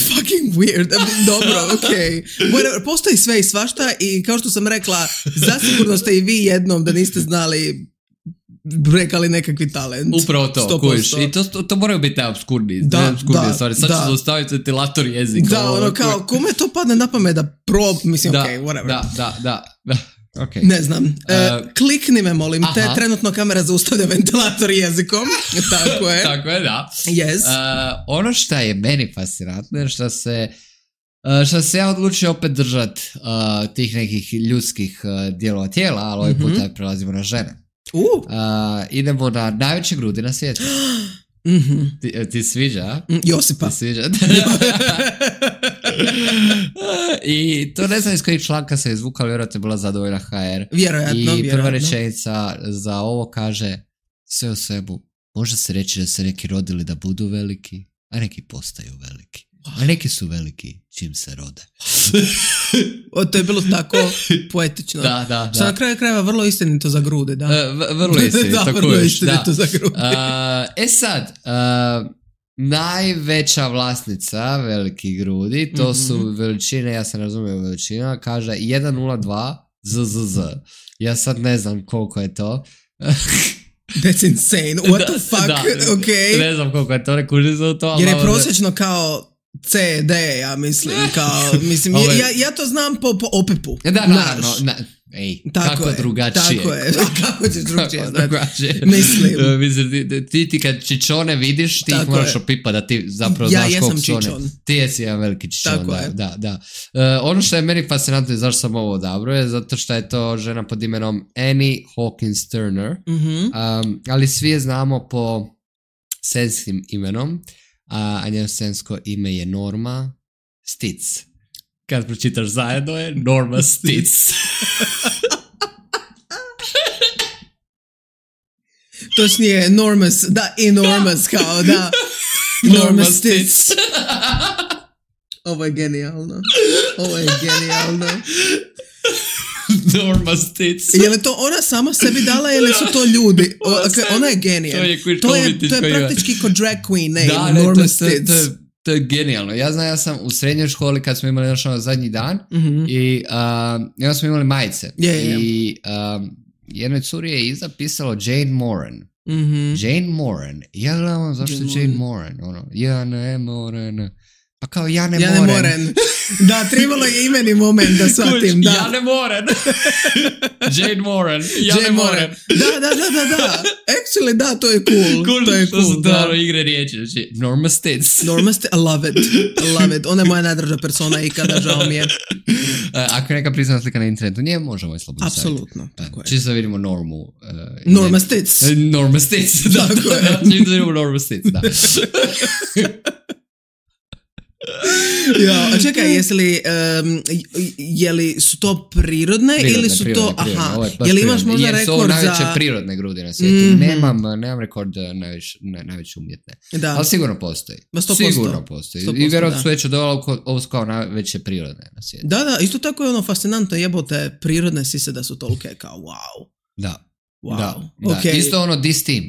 Fucking weird. Dobro, okej. Okay. Postoji sve i svašta i kao što sam rekla, zasigurno ste i vi jednom da niste znali rekali nekakvi talent. Upravo to, kujiš. I to, to, to moraju biti obskurni. Da, obskurni da, stvari. Sad da. ću zaustaviti ventilator jezika. Da, ono kao, kome to padne na pamet da prob, mislim, da, okej, okay, whatever. Da, da, da, da. Okay. Ne znam. Uh, uh, klikni me, molim aha. te. Trenutno kamera zaustavlja ventilator jezikom. Tako je. Tako je, da. Yes. Uh, ono što je meni fascinantno je što se uh, što se ja odlučio opet držati uh, tih nekih ljudskih uh, dijelova tijela, ali ovaj mm-hmm. puta prelazimo na žene. Uh. Uh, idemo na najveće grudi na svijetu. Mm-hmm. Ti, ti sviđa? Mm, Josipa. Ti sviđa? I to ne znam iz kojeg članka se izvukala, vjerojatno je bila zadovoljna ha er. Vjerojatno, I vjerojatno. prva rečenica za ovo kaže, sve o svemu, može se reći da se neki rodili da budu veliki, a neki postaju veliki. A neki su veliki čim se rode. O, to je bilo tako poetično. Da, da, Što da. na kraju krajeva vrlo istinito za grude, da. Uh, v- vrlo istinito, da, tako vrlo još, istinito da. za grude. Uh, e sad, uh, najveća vlasnica velikih grudi, to mm-hmm. su veličine, ja se razumiju veličina, kaže jedan nula dva zet zet zet. Ja sad ne znam koliko je to. That's insane. What da, the fuck? Da, Okay. Ne znam koliko je to, ne kuži za to. Jer je prosječno kao ce de, ja mislim, kao, mislim, Ovo je- ja, ja to znam po, po opepu. Da, naravno, na, ej, Tako kako je, drugačije. Tako je, kako ćeš drugačije Kako znati. drugačije. Mislim. Uh, mislim, ti, ti, ti kad čičone vidiš, ti ih Tako moraš je. opipa da ti zapravo Ja znaš jesam koliko su one. čičon. Ti jesi jedan veliki čičon, Tako da, je. da, da. Uh, ono što je meni fascinantno i zašto sam ovo odabrao je zato što je to žena pod imenom Annie Hawkins Turner, Mhm. um, ali svi je znamo po senskim imenom, a, a njeno sensko ime je Norma Stitz. Kad pročitaš zajedno je Norma Stitz. Točnije, enormous, da, enormous, kao, da. Norma Stitz. Ovo je genijalno. Ovo je genijalno. Norma Stitz. Je li to ona sama sebi dala ili su to ljudi? O, Ona ok, sebi. ona je genijalna. To je koji To je, umjetničko to je ime. praktički kao drag queen name, Da, ne, Norma to, to, Stitz. to, je, to je genijalno. Ja znam, ja sam u srednjoj školi kad smo imali naš ono zadnji dan Mhm. i um, i onda smo imali majice. Je, je, je. I um, jednoj curi je iza pisalo Jane Moran. Mhm. Jane Moran. Ja gledam zašto Jane Jane Moran. Ono, ja ne Moran. Pa kao ja ne Ja ne Moran. moram. Da, trebalo je imeni moment da shvatim, da. Ja ne moram. Jane Moran. Ja Jane ne Moran. moram. Da, da, da, da, da. Actually, da, to je cool. Cool, to je što su cool, to da. ono igre riječi. Znači, Norma Stitz. Norma Stitz, I love it. I love it. Ona je moja najdraža persona ikada, žao mi je. Ako je neka prisutna slika na internetu, nije možemo je slobodno staviti. Apsolutno, tako je. Čisto da vidimo Normu. Uh, Norma ne- Stitz. Norma Stitz. Da, Tako je. da, čisto da vidimo Norma Stitz, da. Ja, a čekaj, jesi li, um, je li su to prirodne, Prirodne, ili su prirodne, to, prirodne. aha, Ovo je baš je li imaš prirodne. možda Jer su ovo rekord najveće za... prirodne grudi na svijetu. Mhm. Nemam, nemam rekord uh, najviše, ne, najveće umjetne. Da. Ali sigurno postoji. Ma sto posto. Sigurno postoji. sto posto, I vjerojatno da. su već odolalo ko- ovo su kao najveće prirodne na svijetu. Da, da, isto tako je ono fascinantno, jebote, prirodne sise da su tolike, kao wow. Da. Wow. Da, da. Okej. Isto ono this team.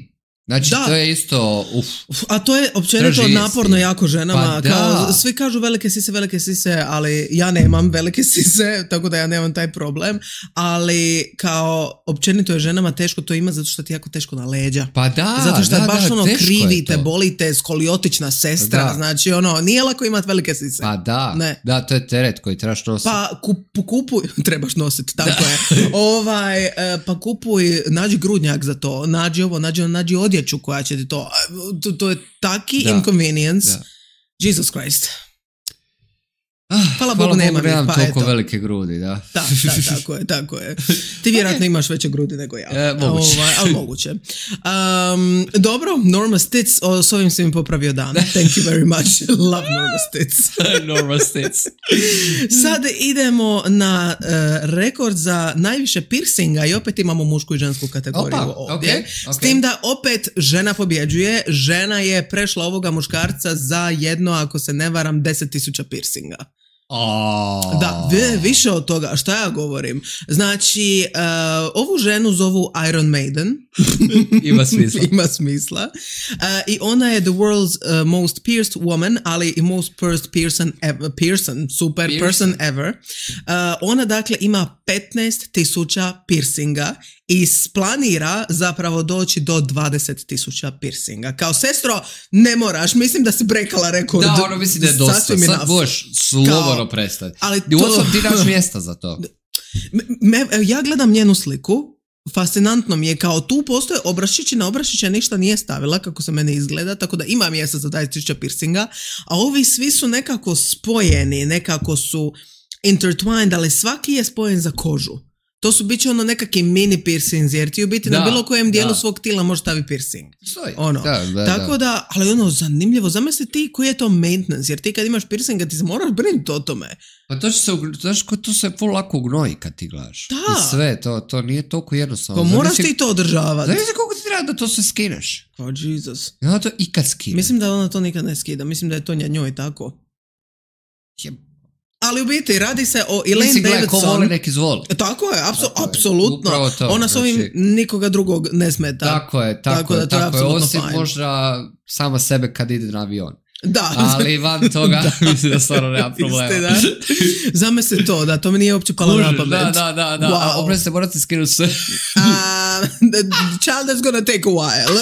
Znači Da. to je isto uf. Uf, a to je općenito Traži naporno isti. jako ženama, Pa da. kao, svi kažu velike sise, velike sise, ali ja nemam velike sise, tako da ja nemam taj problem, ali kao općenito je ženama teško to ima zato što ti je jako teško na leđa. Pa da, Zato što da, je baš da, ono teško je krivite, to. bolite, skoliotična sestra, Da. znači ono, nije lako imati velike sise. Pa da, Ne. da, to je teret koji trebaš nositi. Pa kup, kupuj, trebaš nositi, tako je. Ovaj, e, pa kupuj, nađi grudnjak za to, nađi ovo, nađi, nađi odjeću koja će ti to, to, to je taki Da. inconvenience. Da. Jesus Christ. Ah, Hvala Bogu, nemam ih, nemam pa toliko eto. velike grudi, da. Da, da, tako je, tako je. Ti vjerojatno imaš veće grudi nego ja. E, moguće. Ovaj, ali moguće. Um, dobro, Norma Stitz, o, s ovim si mi popravio dan. Thank you very much. Love Norma Stitz. Norma Stitz. Sad idemo na uh, rekord za najviše piercinga i opet imamo mušku i žensku kategoriju Opa, ovdje. okej, S okej. tim da opet žena pobjeđuje. Žena je prešla ovoga muškarca za jedno, ako se ne varam, deset tisuća piercinga. Oh. Da, vi- više od toga, šta ja govorim? Znači, uh, ovu ženu zovu Iron Maiden. Ima smisla. Ima smisla. Uh, I ona je the world's uh, most pierced woman, ali i most pierced person ever, person, super Piercing. person ever. Uh, ona dakle ima petnaest tisuća piercinga i planira zapravo doći do dvadeset tisuća piercinga. Kao sestro, ne moraš, mislim da si brekala rekord. Da, ono mislim da je dosta. Sasvim Sad enough. boš slobodno prestati. Ali I to- uostalom ti daš mjesta za to. Me, ja gledam njenu sliku, fascinantno mi je, kao tu postoje obrašići, na obrašiće ništa nije stavila kako se meni izgleda, tako da ima mjesta za dvadeset tisuća piercinga, a ovi svi su nekako spojeni, nekako su intertwined, ali svaki je spojen za kožu. To su bit će ono nekakvi mini piercings, jer ti u biti da, na bilo kojem dijelu da. svog tila možeš staviti piercing. Stoji. Ono. Da, da, Tako da. da, ali ono, zanimljivo, zamisli ti koji je to maintenance, jer ti kad imaš piercinga ti se moraš brinuti o tome. Pa to će se, znaš, to se full lako ugnoji kad ti gledaš. Da. I sve, to, to nije toliko jednostavno. Pa moraš ti to održavati. Znači koliko ti treba da to se skineš? Oh, Jesus. Ja to ikad skinem. Mislim da ona to nikad ne skida, mislim da je to njoj tako. Je... Ali u biti radi se o Elaine Mislim, Davidson. Mislim, ko voli nek izvoli. Tako je, apsu, tako apsolutno. Je. Ona s ovim znači, nikoga drugog ne smeta. Tako je, tako, tako je, da to tako je. Osim fine. možda sama sebe kad ide na avion. Da. Ali van toga, mislim da stvarno nema problema. Zamisli to, da, to mi nije uopće palo na pamet. Da, da, da, da. Wow. A opet se morate skinuti sve. Uh, the child is gonna take a while.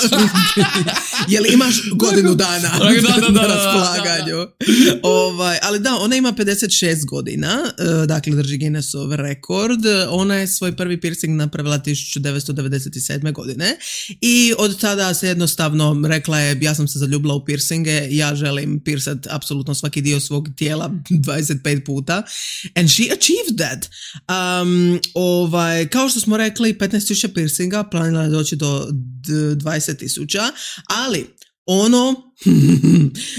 Jel imaš godinu dana da, da, da, na raspolaganju? Da, da. Ovaj, ali da, ona ima pedeset šest godina, dakle drži Guinnessov rekord. Ona je svoj prvi piercing napravila tisuću devetsto devedeset sedme godine i od tada se jednostavno rekla je, ja sam se zaljubila u piercinge, ja želim piercat apsolutno svaki dio svog tijela dvadeset pet puta. And she achieved that. Um, ovaj, kao što smo rekli, petnaest tisuća piercinga, planila je doći do dvadeset tisuća, ali ono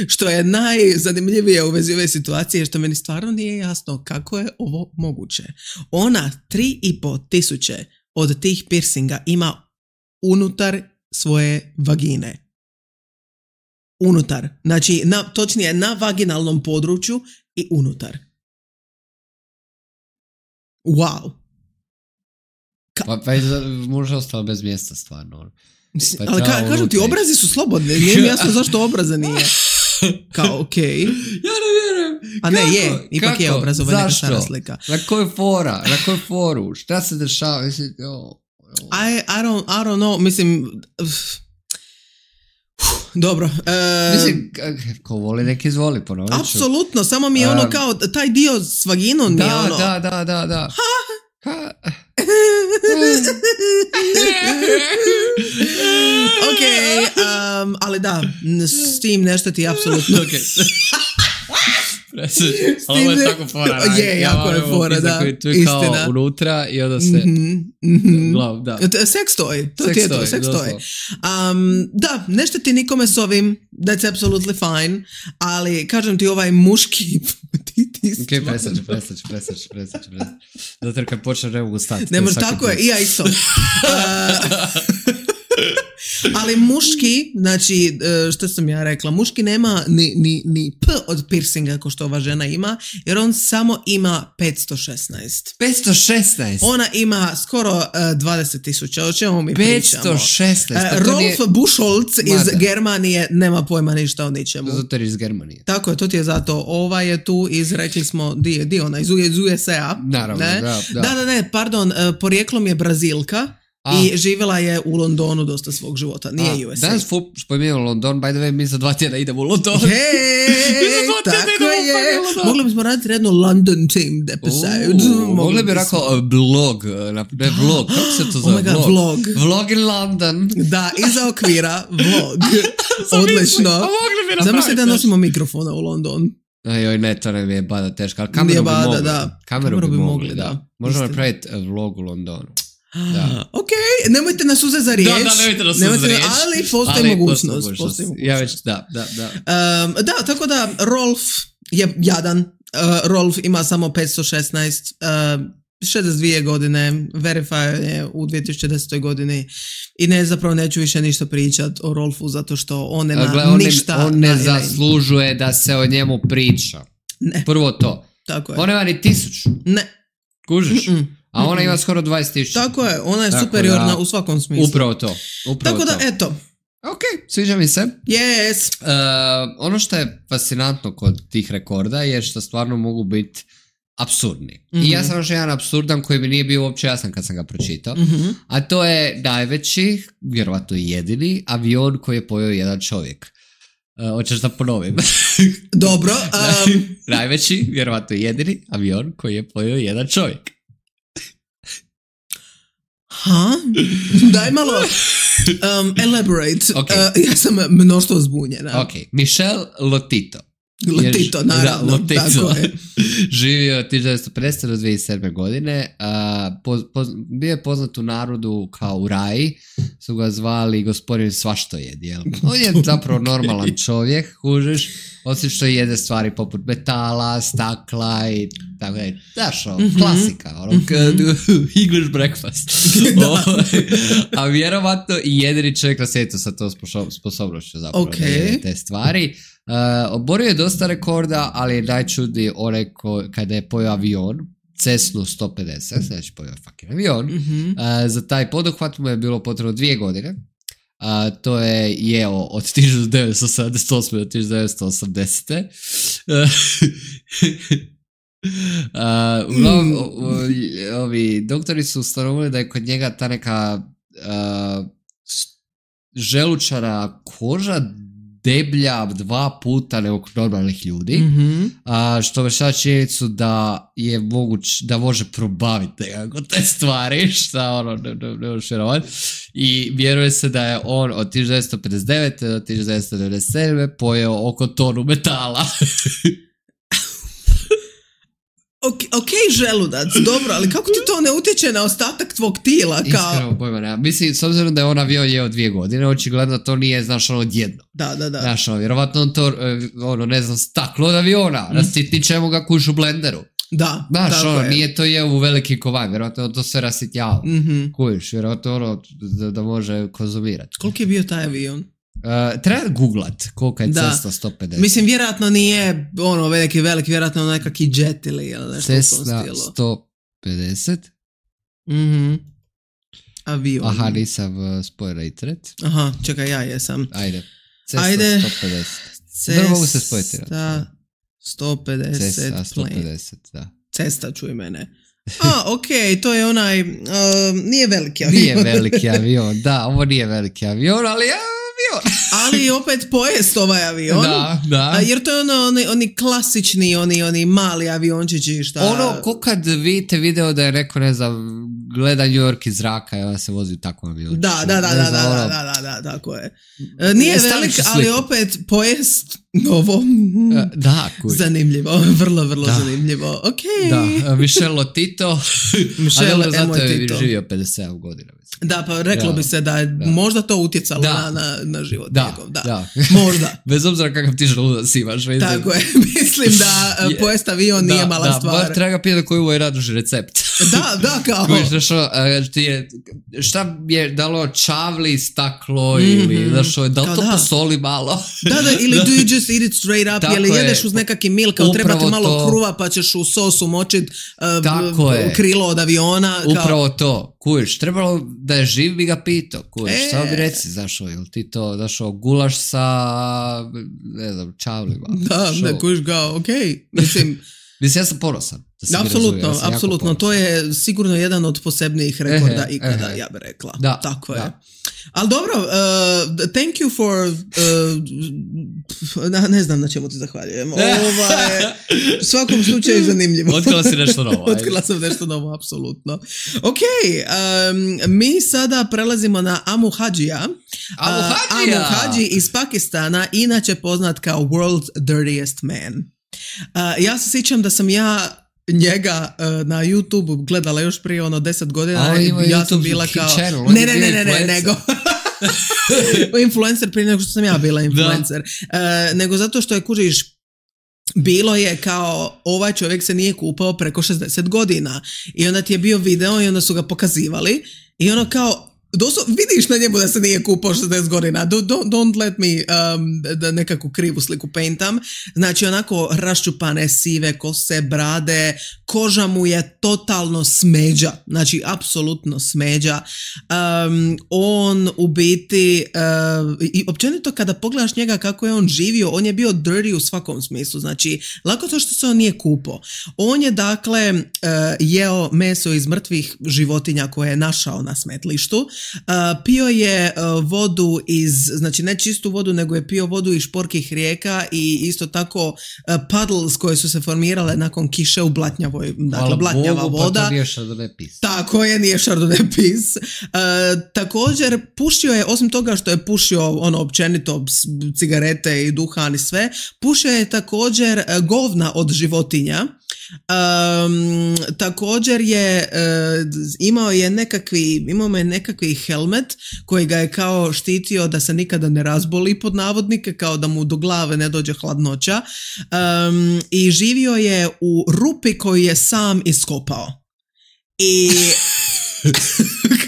što je najzanimljivije u vezi ove situacije je što meni stvarno nije jasno kako je ovo moguće. Ona tri i po tisuće od tih piercinga ima unutar svoje vagine. Unutar. Znači, na, točnije na vaginalnom području i unutar. Wow. Ka- pa pa možda ostala bez mjesta stvarno. Pa ali ka, kažem ti, obrazi su slobodni. Nije mi jasno zašto obraza nije. Kao, okej. Okay. Ja ne vjerujem. A ne, kako? Je. Ipak kako? Je obraz, ovo je neka stara slika. Na koju fora? Na koju foru? Šta se dešava? Mislim, oh, oh. I, I, don't, I don't know. Mislim... Dobro. Uh, Mislim, ko voli nek izvoli, ponovit ću. Apsolutno, samo mi je ono um, kao taj dio s vaginom da, mi je ono... Da, da, da, da. Ha? Ok, um, ali da, s tim nešto ti apsolutno... Ok. Ali ovo je tako fora. Je, jako je fora, da. Tu je kao istina. Unutra i onda se... Mm-hmm, mm-hmm. Glav, da. Sex toy. To ti je to, sex toy. Um, da, nešto ti nikome s ovim, that's absolutely fine, ali kažem ti ovaj muški... ti, ti ok, presaću, presaću, presaću, presaću. Zato jer kad počne ne mogu stati. Ne može, tako je, i ja isto. Uh, ali muški, znači, što sam ja rekla, muški nema ni, ni, ni p od piercinga ko što ova žena ima, jer on samo ima petsto šesnaest. petsto šesnaest? Ona ima skoro uh, dvadeset tisuća, o čemu mi petsto pričamo? petsto šesnaest? Uh, Rolf nije... Buchholz iz Mada. Germanije nema pojma ništa o ničemu. Zato iz Germanije. Tako je, to ti je zato. Ova je tu iz, rekli smo, di je, di ona, iz, iz U S A. Naravno, ne? da, da. Da, da, ne, pardon, uh, porijeklom je Brazilka. A. I živjela je u Londonu dosta svog života, nije A, U S A. Danas spominjamo London, by the way, mi za dva tjedna idemo u London. Hej, tako je. Mogli bismo raditi jednu London themed episode. Uh, mogli bi rekao blog, ne vlog, kako se to zove? Oh my god, vlog. Vlog in London. Da, iza okvira, vlog. Odlično. Zamisli da nosimo mikrofona u London. Joj, ne, to ne mi je bada teško, ali kameru bi bada, mogli. Da. Kameru, kameru bi, bi mogli, mogli, da. da. Možemo napraviti vlog u Londonu. Da. Ok, nemojte nas uzeti za riječ. Da, da, nemojte nas uzeti za riječ. Ali postoji ali mogućnost. Postoji postoji mogućnost. Ja već, da, da, da. Um, da, tako da Rolf je jadan. Uh, Rolf ima samo petsto šesnaest, uh, šezdeset dvije godine, verify je u dvije tisuće desetoj godini i ne, zapravo neću više ništa pričati o Rolfu zato što on nema Gle, on ništa. Ne, on ne zaslužuje da se o njemu priča. Ne. Prvo to. Tako je. On nema ni tisuću. Ne. Kužiš? Mm-mm. A ona ima skoro dvadeset tisuća. Tako je, ona je tako superiorna da, u svakom smislu. Upravo to. Upravo tako da, to. eto. Ok, sviđa mi se. Yes. Uh, ono što je fascinantno kod tih rekorda je što stvarno mogu biti apsurdni. Mm-hmm. I ja sam još jedan apsurdan koji mi nije bio uopće jasan kad sam ga pročitao. Mm-hmm. A to je najveći, vjerovatno i jedini, avion koji je pojeo jedan čovjek. Uh, hoćeš da ponovim? Dobro. Um... najveći, vjerovatno i jedini, avion koji je pojeo jedan čovjek. Ha? Daj malo um, elaborate. Okay. Uh, ja sam mnoštvo zbunjena. Ok, Michel Lotito. Lotito, naravno. Da, Lotito. Tako je. Živio od tisuću devetsto pedesete do dvije tisuće sedme godine. Uh, poz, poz, bio je poznat u narodu kao u Raji. Su ga zvali gospodin svaštojed. Jel? On je zapravo normalan čovjek, kužiš, osim što jede stvari poput metala, stakla i tako da je. Znaš, ono, mm-hmm. klasika. Ono, mm-hmm. English breakfast. A vjerovatno i jedini čovjek na svijetu sa tom sposobnošću zapravo okay. da jede te stvari. Uh, oborio je dosta rekorda, ali je najčudniji onaj ko, kada je pojao avion, Cessnu sto pedeset, znači pojao fucking avion. Mm-hmm. Uh, za taj poduhvat mu je bilo potrebno dvije godine. Uh, to je jeo od tisuću devetsto sedamdeset osme do tisuću devetsto osamdesete. Uh, uh, uglavnom, mm. ovi doktori su ustanovili da je kod njega ta neka uh, želučana koža deblja dva puta nego kod normalnih ljudi, mm-hmm. a, što vršava činjenicu da je moguć, da može probaviti nekako te stvari, šta ono ne, ne, ne može vjerovati. I vjeruje se da je on od tisuću devetsto pedeset devete do tisuću devetsto devedeset sedme pojeo oko tonu metala. Ok, ok, želudac, dobro, ali kako ti to ne utječe na ostatak tvog tijela? Kao... Iskreno, pojma nema. Mislim, s obzirom da je on avion jeo dvije godine, očigledno to nije, znaš, ono odjedno. Da, da, da. Znaš, ono, vjerovatno on to, ono, ne znam, staklo od aviona, mm. rasitnit ćemo ga kuš u blenderu. Da, znaš, ono, je. Nije to jeo u veliki kovan, vjerovatno on to sve rasitjava. Mm-hmm. Kuš, vjerovatno ono, da, da može konzumirati. Koliko je bio taj avion? Uh, treba googlat koliko je Cessna sto pedeset. Mislim, vjerojatno nije ono veliki, veliki, vjerojatno nekakvi jet ili nešto Cessna sto pedeset. Mhm. Avion. Aha, nisam uh, spojila internet. Aha, čekaj, ja jesam. Ajde. Cessna Ajde. sto pedeset. Cessna mogu se spojiti. sto pedeset. Cessna sto pedeset, da. Cesta čuj mene. A, ok, to je onaj, uh, nije veliki avion. Nije veliki avion, da, ovo nije veliki avion, ali ja avion. Ali opet pojest ovaj avion. Da, da. A, jer to je ono, oni, oni klasični, oni, oni mali aviončići šta... Ono, ko kad vidite video da je neko, ne znam, gleda New York iz zraka i ona se vozi u takvom avionu. Da, da, da, da, da, ono... da, da, da, tako je. Nije velik, ali opet pojest novo. Da, kuj. Zanimljivo, vrlo, vrlo da. zanimljivo. Ok. Da, Michel Lotito. Michel a zato je živio pedeset sedam godina. Mislim. Da, pa reklo da. bi se da je da. možda to utjecalo da. na, na, na život da. njegov. Da, da. Možda. Bez obzira kakav ti želudac imaš. Mislim. Tako je, mislim da je, pojest avion nije da, mala da, stvar. Da, treba ga pitati koji je raduži recept. Da, da, kao. Što, je, šta je dalo čavli, staklo mm-hmm. ili znaš, da li to da. posoli malo? Da, da, ili do you just eat it straight up, tako ili jedeš uz nekakvi milk, kao treba ti malo to. kruva pa ćeš u sosu močit uh, krilo od aviona. Kao. Upravo to, kujiš, trebalo da je živ bi ga pitao, kujiš, e. samo bi reci, znaš, ili ti to, znaš, gulaš sa, ne znam, čavlima. Da, ne kujiš ga, okej, okay. mislim... Mislim, ja sam ponosan. Apsolutno, ja apsolutno. To je sigurno jedan od posebnijih rekorda ehe, ikada, ehe. ja bih rekla. Da, tako da. je. Ali dobro, uh, thank you for... Uh, ne znam na čemu ti zahvaljujem. Ovo je u svakom slučaju zanimljivo. Otkrila si nešto novo. Otkrila sam nešto novo, apsolutno. Ok, um, mi sada prelazimo na Amu Hadžija. Amu Hadžija! Uh, Amu Hadži iz Pakistana, inače poznat kao World's Dirtiest Man. Uh, ja se sjećam da sam ja njega uh, na YouTube gledala još prije ono deset godina. Ali ima ja YouTube sam bila kao... channel, ne, ne, ne, ne, ne, nego... influencer prije nego što sam ja bila influencer. Uh, nego zato što je, kužiš, bilo je kao ovaj čovjek se nije kupao preko šezdeset godina i onda ti je bio video i onda su ga pokazivali i ono kao doslovno vidiš na njemu da se nije kupao šezdeset godina. Don't, don't let me um, da nekakvu krivu sliku paintam. Znači onako raščupane sive kose, brade, koža mu je totalno smeđa. Znači apsolutno smeđa. Um, on u biti uh, i općenito kada pogledaš njega kako je on živio, on je bio dirty u svakom smislu. Znači lako to što se on nije kupao. On je dakle uh, jeo meso iz mrtvih životinja koje je našao na smetlištu. pio je uh, vodu iz, znači ne čistu vodu, nego je pio vodu iz šporkih rijeka i isto tako uh, puddles koje su se formirale nakon kiše u blatnjavoj, dakle blatnjava Bogu, voda. Pa to nije Chardonnay pis. Tako je, nije Chardonnay pis. Uh, također pušio je, osim toga što je pušio ono općenito cigarete i duhan i sve, pušio je također uh, govna od životinja. Um, također je uh, imao je nekakvi imao je nekakvi helmet koji ga je kao štitio da se nikada ne razboli pod navodnike, kao da mu do glave ne dođe hladnoća, um, i živio je u rupi koju je sam iskopao i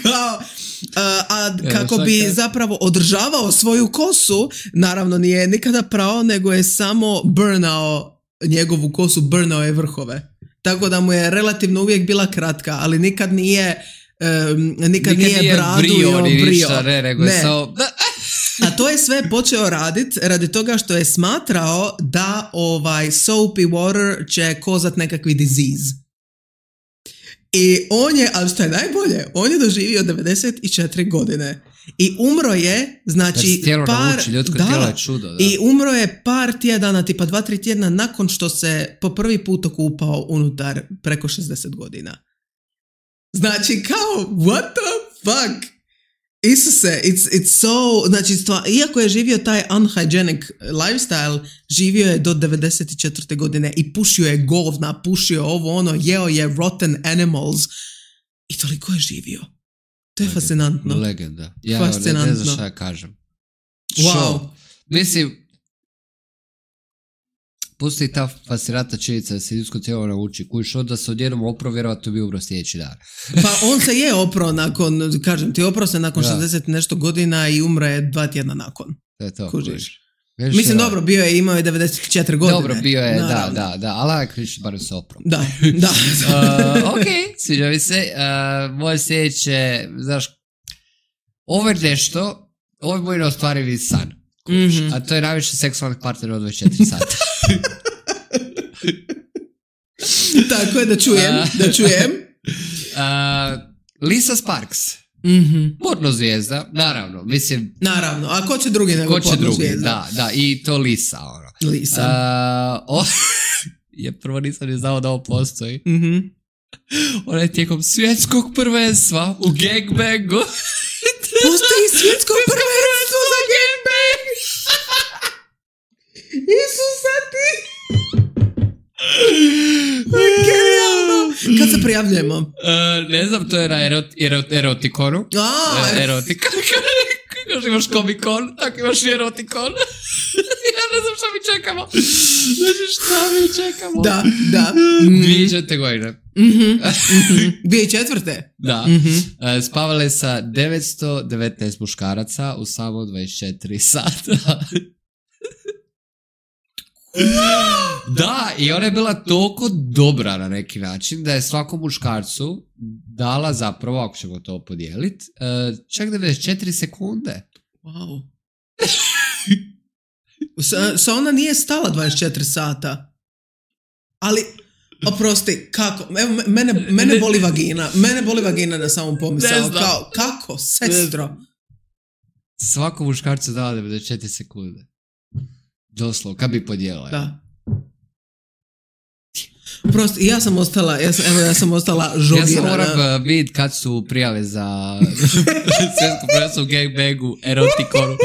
kao Uh, a kako bi zapravo održavao svoju kosu, naravno nije nikada prao, nego je samo burnao njegovu kosu, burnao je vrhove. Tako da mu je relativno uvijek bila kratka, ali nikad nije um, nikad, nikad nije, nije bradu brio, i obrio. Ništa, ne, nego ne. Je samo... A to je sve počeo raditi radi toga što je smatrao da ovaj soapy water će kozat nekakvi disease. I on je, ali što je najbolje, on je doživio devedeset četiri godine i umro je, znači par, nauči, ljudsko da, tijelo je čudo, da. I umro je par tjedana, tipa dva, tri tjedna nakon što se po prvi put okupao unutar preko šezdeset godina. Znači kao, what the fuck? Isuse, it's, it's so, znači, stva, iako je živio taj unhygienic lifestyle, živio je do devedeset četvrte godine i pušio je govna, pušio ovo ono, jeo je rotten animals i toliko je živio. To je Legenda. fascinantno. Legenda. Ja fascinantno. ne, ne znam šta ja kažem. Wow. Show. Mislim, pusti ta fascinantna činjenica da se ljudsko tijelo nauči. Koji što da se odjednom opro, vjerovatno bi umro sljedeći dan. Pa on se je opro nakon, kažem ti, opro se nakon da. šezdeset nešto godina i umre je dva tjedna nakon. To je to. Kužiš. Kužiš. Mislim, dobro, bio je, imao je devedeset četiri godine. Dobro, bio je, naravno. da, da, da, ali kriš barem se opro. Da, da. uh, ok, sviđa mi se. Uh, moje sljedeće, znaš, ovo je nešto, ovo je moj neostvarivi san. Mm-hmm. A to je najviše seksualnih partnera od dvadeset četiri sata. Tako je, da čujem, uh, da čujem. Uh, Lisa Sparks. Mm-hmm. Porno zvijezda, naravno, mislim... Naravno, a ko će drugi nego ko će porno drugi, zvijezda? da, da, i to Lisa, ono. Lisa. Uh, o, je prvo nisam je znao da ovo postoji. Mm-hmm. Ona je tijekom svjetskog prvenstva u gangbangu. Postoji svjetsko prvenstvo za gangbang! Isusa ti! Genijalno! Kad se prijavljujemo? Uh, ne znam, to je na erot, erot, erotikonu. A, uh, erotika. Kako imaš komikon, tako imaš i erotikon. Ja ne znam šta mi čekamo. Znači šta mi čekamo? Da, da. Dvije četvrte godine. Mm-hmm, mm-hmm. Dvije četvrte? Da. Mm-hmm. Uh, spavale sa devetsto devetnaest muškaraca u samo dvadeset četiri sata. Da, i ona je bila toliko dobra na neki način da je svakom muškarcu dala zapravo, ako ćemo to podijeliti, uh, čak devedeset četiri sekunde. Wow. Sa, sa ona nije stala dvadeset četiri sata. Ali, oprosti, kako? Evo, mene, mene boli vagina. Mene boli vagina na samom pomisao. Kao, kako, sestro? Svakom muškarcu dala devedeset četiri sekunde. Doslovno, kad bi podijelila. Da. Prosto, ja sam ostala, ja sam, evo, ja sam ostala žogirana. Ja sam moram uh, vidjeti kad su prijave za svjetsko prvenstvo u gangbangu, erotikonu.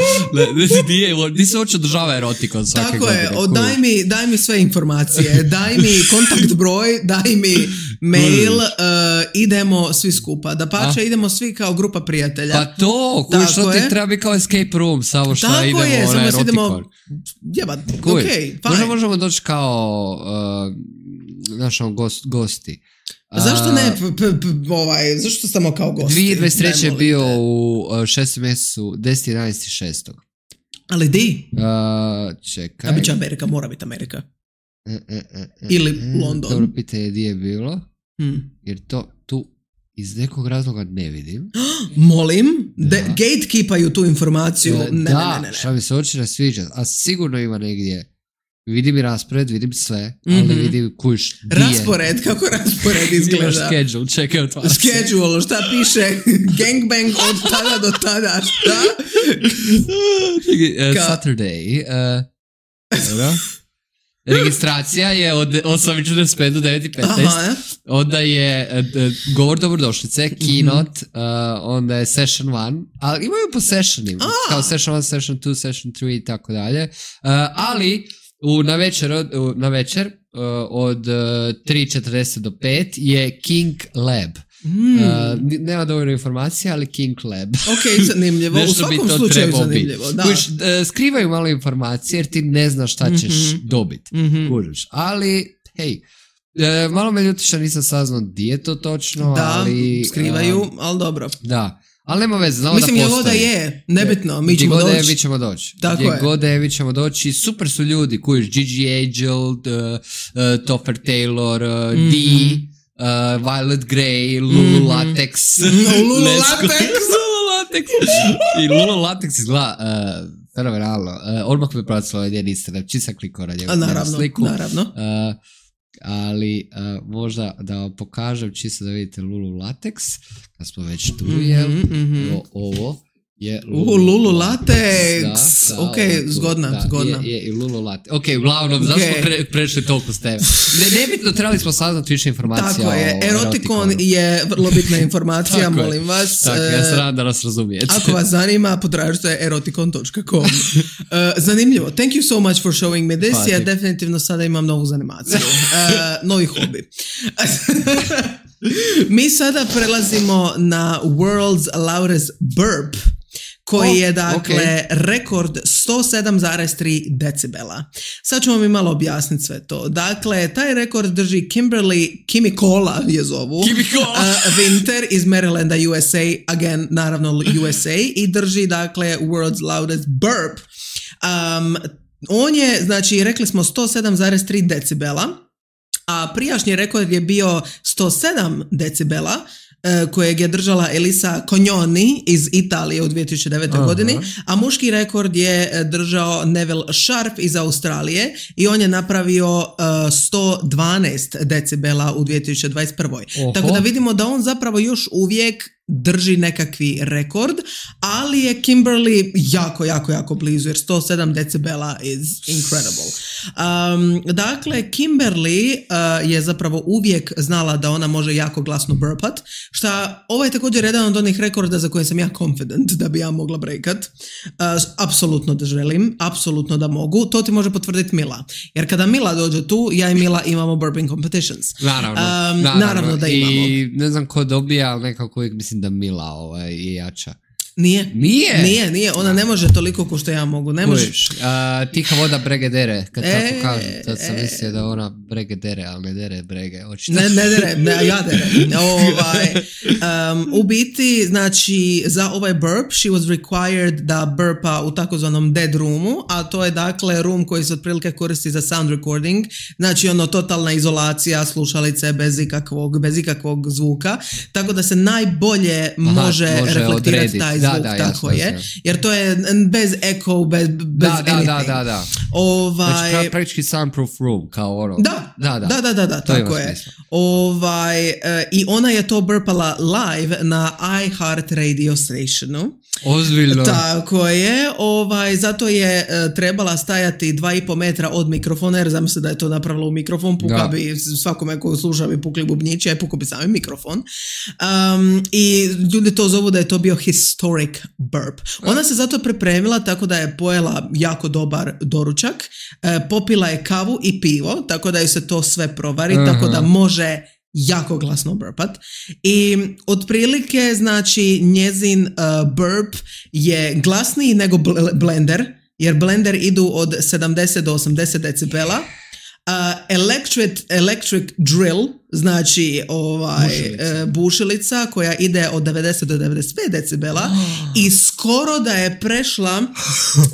Di se uopće održava erotikon svake Tako godine. Tako je, o, daj, mi, daj mi sve informacije, daj mi kontakt broj, daj mi mail, uh, idemo svi skupa. Da pače, A? idemo svi kao grupa prijatelja. Pa to, koji što ti treba biti kao escape room, samo što Tako idemo je, na samo erotikon. Idemo, jebat, ok, fine. Možda možemo doći kao... Uh, znaš, on gost, gosti. Zašto ne, p, p, p, ovaj, zašto samo kao gosti? dvije tisuće dvadeset treće je bio u šestom mjesecu, deset jedanaest šestog Ali di? Uh, čekaj. A bit će Amerika, mora biti Amerika. E, e, e, e, Ili e, London. Dobro pitanje gdje je bilo. Hmm. Jer to tu iz nekog razloga ne vidim. Molim, de, gatekeepaju tu informaciju. E, ne, da, ne, ne, ne. šta mi se oči ne sviđa. A sigurno ima negdje Vidim i raspored, vidim sve, ali mm-hmm. vidim kuš di raspored, je. kako raspored izgleda? Imaš schedule, čekaj od vas. Schedule, šta piše? Gangbang od tada do tada, šta? uh, Saturday. Uh, registracija je od osam četrdeset pet do devet petnaest. Onda je uh, govor dobrodošlice, keynote, uh, onda je session one, ali imaju po sessionima, ah. kao session one, session two, session three i tako dalje. Uh, ali u, na večer, u, na večer uh, od uh, tri četrdeset do pet je King Lab. Mm. Uh, nema dovoljno informacija, ali King Lab. Ok, zanimljivo. U svakom slučaju zanimljivo. Da. Kuš, uh, skrivaju malo informacije jer ti ne znaš šta ćeš mm-hmm. dobiti. Mm-hmm. Kužiš. Ali, hej, uh, malo me ljutiša, nisam saznao di je to točno. Da, ali, skrivaju, uh, ali dobro. Da. Ali nema veze, znamo Mislim, da postoji. Mislim, je, nebitno, mi ćemo doći. Gdje god je, mi ćemo doći. Tako Gdje je. god je, mi ćemo doći. Super su ljudi, kujiš, Gigi Angel, uh, uh, Topher Taylor, uh, mm-hmm. D, Uh, Violet Grey, Lulu mm-hmm. Latex. No, Lulu Latex! Lulu Latex! I Lulu Latex izgleda uh, fenomenalno. Uh, odmah me pratilo ovaj njen Instagram, čim sam klikao na njegu naravno, sliku. Naravno, uh, ali uh, možda da vam pokažem čisto da vidite Lulu Latex, kad smo već tu, mm-hmm, jel? Mm-hmm. O, ovo je Lulu, uh, Lulu Latex, da, da, ok, ovo, zgodna, da, zgodna. Je, je i Lulu Latex. Ok, uglavnom, okay. Zašto smo pre, prešli toliko s tebe? Ne, nebitno, trebali smo saznati više informacija. Tako je, erotikon je vrlo bitna informacija, molim vas. Tako, ja se radam da nas razumijete. Ako vas zanima, potražite erotikon dot com. uh, zanimljivo, thank you so much for showing me this, ja definitivno sada imam novu zanimaciju, uh, novi hobi. Mi sada prelazimo na World's Loudest Burp, koji oh, je dakle okay. rekord sto sedam zarez tri decibela. Sad ću vam i malo objasniti sve to. Dakle, taj rekord drži Kimberly Kimikola je zovu. Kimikola. Uh, Winter iz Marylanda, U S A, again, naravno U S A, i drži dakle World's Loudest Burp. Um, on je, znači, rekli smo sto sedam zarez tri decibela, a prijašnji rekord je bio sto sedam decibela, kojeg je držala Elisa Cognoni iz Italije u dvije tisuće devete. Aha. godini, a muški rekord je držao Neville Sharp iz Australije i on je napravio uh, sto dvanaest decibela u dvije tisuće dvadeset prve. Oho. Tako da vidimo da on zapravo još uvijek drži nekakvi rekord, ali je Kimberly jako, jako, jako blizu, jer sto sedam decibela is incredible. Um, dakle, Kimberly uh, je zapravo uvijek znala da ona može jako glasno burpat, šta ovo je također jedan od onih rekorda za koje sam ja confident da bi ja mogla breakat. Uh, apsolutno da želim, apsolutno da mogu. To ti može potvrditi Mila. Jer kada Mila dođe tu, ja i Mila imamo burping competitions. Naravno. Um, naravno. naravno da imamo. I ne znam ko dobija, ali nekako uvijek mislim da Mila ovaj, je jača. Nije. Nije? Nije, nije. Ona ne može toliko ko što ja mogu. Ne može. Uh, tiha voda brege dere. Kad e, tako kažem, tad sam e, mislio da ona brege dere, ali ne dere brege. Očito. Ne, ne dere, ne, ja dere. Ovaj, um, u biti, znači, za ovaj burp, she was required da burpa u takozvanom dead roomu, a to je dakle room koji se otprilike koristi za sound recording. Znači, ono, totalna izolacija, slušalice bez ikakvog, bez ikakvog zvuka. Tako da se najbolje Aha, može, može reflektirati taj zvuk, da, da, tako jasno, je. Jasno. Jer to je bez echo, bez, bez da, anything. Da, da, da. Ovaj... Znači, praktički soundproof room, kao ono. Da, da, da, da, da, da tako je. Ovaj, uh, I ona je to burpala live na iHeartRadio stationu. Ozbiljno. Tako je, ovaj, zato je uh, trebala stajati dva i po metra od mikrofona, jer znam se da je to napravila u mikrofon, puka da. bi svakome koji sluša bi pukli bubnjići, a puka bi sami mikrofon. Um, I ljudi to zovu da je to bio historic burp. Ona se zato pripremila tako da je pojela jako dobar doručak, uh, popila je kavu i pivo, tako da ju se to sve provari, uh-huh. tako da može jako glasno burpat. I otprilike, znači, njezin uh, burp je glasniji nego bl- blender, jer blender idu od sedamdeset do osamdeset decibela. Uh, electric, electric drill, znači ovaj, bušilica. Uh, bušilica koja ide od devedeset do devedeset pet decibela oh. i skoro da je prešla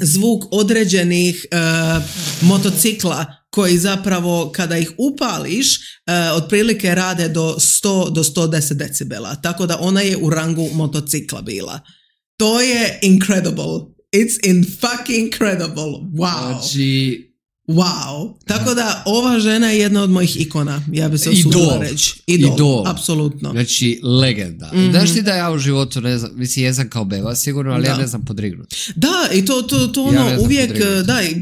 zvuk određenih uh, motocikla koji zapravo kada ih upališ uh, otprilike rade do sto do sto deset decibela, tako da ona je u rangu motocikla bila. To je incredible. It's in fucking incredible. Wow. Znači, Wow. Tako da ova žena je jedna od mojih ikona. Ja bi se osudila reći. Idol. Idol. Apsolutno. Znači, legenda. Mm-hmm. Znaš ti da ja u životu ne znam, mislim, jesam kao beba sigurno, ali da. ja ne znam podrignuti. Da, i to, to, to ono ja uvijek, da, i,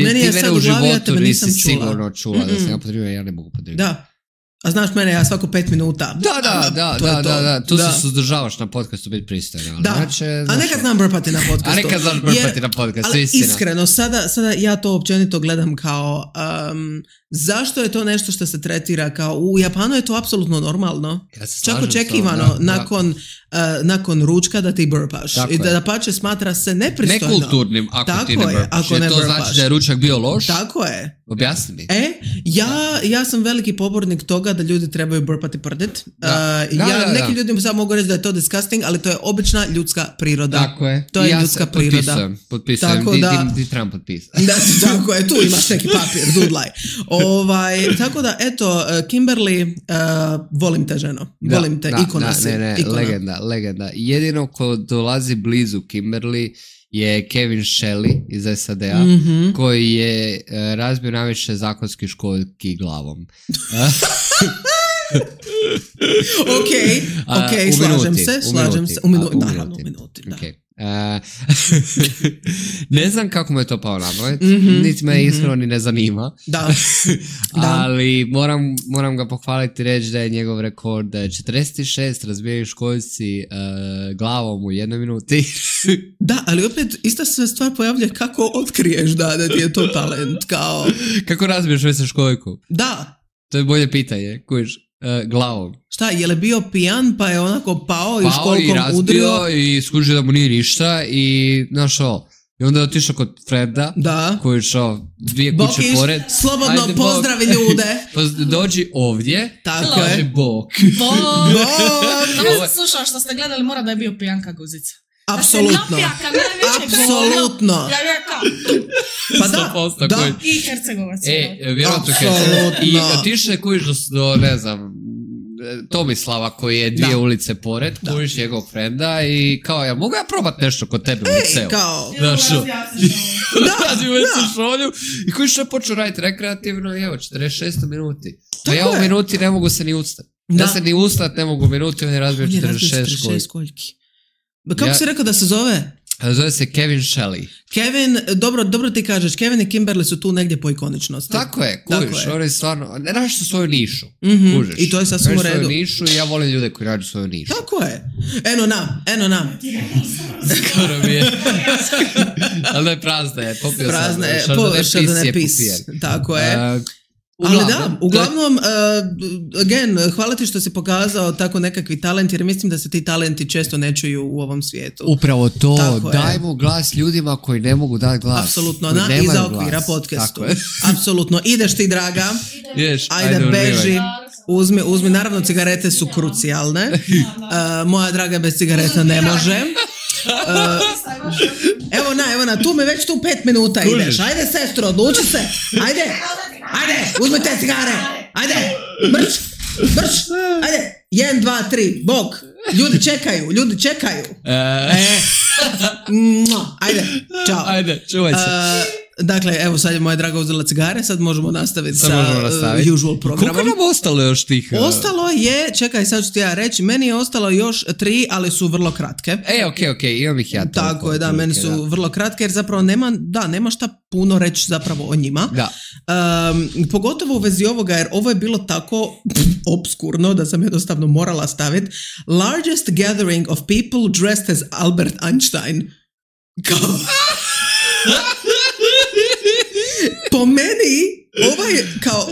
meni je sad u glavi, ja tebe nisam čula. sigurno čula Mm-mm. da sam ja podrignuo, ja ne mogu podrignuti. Da. A znaš mene, ja svako pet minuta. Da, da, da, to da, da, da, tu da. se suzdržavaš na podcastu biti pristojno. Da, znači, a nekad znam brpati na podcastu. A nekad znaš brpati na podcastu, ali istina. Iskreno, sada, sada ja to općenito gledam kao, um, zašto je to nešto što se tretira kao, u Japanu je to apsolutno normalno. Ja se čak očekivano, to, da, nakon, da. Uh, nakon ručka da ti brpaš. Tako I da, da pače smatra se nepristojno. Nekulturnim ako tako ti ne brpaš. Je, ako ne to brpaš. znači da je ručak bio loš? Tako je. Objasni mi. E, ja, ja sam veliki pobornik toga da ljudi trebaju brpati prdit. Da. Uh, da, ja, da, neki da. ljudi sad mogu reći da je to disgusting, ali to je obična ljudska priroda. Tako je. To je ja ljudska priroda. Potpisujem, potpisujem. Tako di, da, di, di trebam potpisati. Da, tako je, tu imaš neki papir, dudlaj. Ovaj, tako da, eto, Kimberly, uh, volim te ženo. Da, volim te, da, ikona da, si. Ne, ne, ikona. legenda, legenda. Jedino ko dolazi blizu Kimberly je Kevin Shelley iz S A D-a, mm-hmm. koji je uh, razbio najviše zakonskih školjki glavom. ok, ok, uh, slažem minuti, se, u slažem minuti, se. U, minu- u naravno, minuti. u minuti, da. Okay. Uh, ne znam kako me to pao na pamet, mm-hmm, niti me mm-hmm. iskreno ni ne zanima. Da. da. Ali moram, moram ga pohvaliti, reći da je njegov rekord da je četrdeset šest razbijaju školjci uh, glavom u jednoj minuti. Da, ali opet ista se stvar pojavlja kako otkriješ da, da ti je to talent. Kao... Kako razbiješ već školjku? Da. To je bolje pitanje, kužiš. Uh, glavom. Šta, je li bio pijan pa je onako pao, pao i školkom razbio, udrio? I skužio da mu nije ništa i znaš o, i onda je otišao kod Freda, da. koji je šao dvije kuće Bokiš, pored. slobodno ajde, pozdravi bok. Ljude. Dođi ovdje, tako je. Bok. Bok. Tamo sam slušala što ste gledali, mora da je bio pijanka guzica. Apsolutno. Apsolutno. Ja je kao. Pa da, da. I Hercegovac. E, vjerojatno Hercegovac. I otišao kujiš do, do, ne znam, Tomislava koji je dvije da. ulice pored, kujiš njegovog frenda i kao, ja mogu ja probat nešto kod tebe u liceu? Ej, kao. Znaš, razim već se šolju i kujiš je počeo raditi rekreativno i evo, četrdeset šest minuti. A ja u minuti ne mogu se ni ustati. Ja se ni ustati ne mogu u minuti, on je razbio četrdeset šest školjki. Kako ja, si rekao da se zove? Zove se Kevin Shelley. Kevin, dobro, dobro ti kažeš, Kevin i Kimberly su tu negdje po ikoničnosti. Tako je, kužiš, oni stvarno, ne nađu svoju nišu, mm-hmm. kužiš. I to je sasvim u redu. Svoju nišu i ja volim ljude koji nađu svoju nišu. Tako je. Eno nam, eno nam. Skoro mi je. Ali ne prazna je, popio prazna sam. Prazna je, Šardone pis je, tako je. Uh, Uglavnom, ali da, uglavnom, uh, again, hvala ti što si pokazao tako nekakvi talent, jer mislim da se ti talenti često ne čuju u ovom svijetu. Upravo to, tako dajmo je. Glas ljudima koji ne mogu dati glas. Apsolutno, na, iza okvira podcastu. Apsolutno, ideš ti draga, Ješ, ajde, ajde beži, uzmi, uzmi, naravno cigarete su krucijalne, uh, moja draga bez cigareta ne može. Uh, evo na, evo na, tu me već tu pet minuta Kužiš. Ideš, ajde sestro, odluči se, ajde, ajde, uzmi te cigare, ajde, brč, brč, ajde, jedan, dva, tri, bok, ljudi čekaju, ljudi čekaju, e, ajde, čao, ajde, čuvaj se. Uh, Dakle, evo sad je moja draga uzela cigare, sad možemo nastaviti sad sa možemo nastaviti. Uh, usual programom. Koliko nam ostalo još tih? Uh... Ostalo je, čekaj sad ću ti ja reći, meni je ostalo još tri, ali su vrlo kratke. E, okej, okay, okej, okay, imam ih ja. Tako je, da, meni su da. vrlo kratke jer zapravo nema, da, nema šta puno reći zapravo o njima. Da. Um, pogotovo u vezi ovoga jer ovo je bilo tako obskurno da sam jednostavno morala staviti. Largest gathering of people dressed as Albert Einstein. Kao... Po meni, ovaj, kao,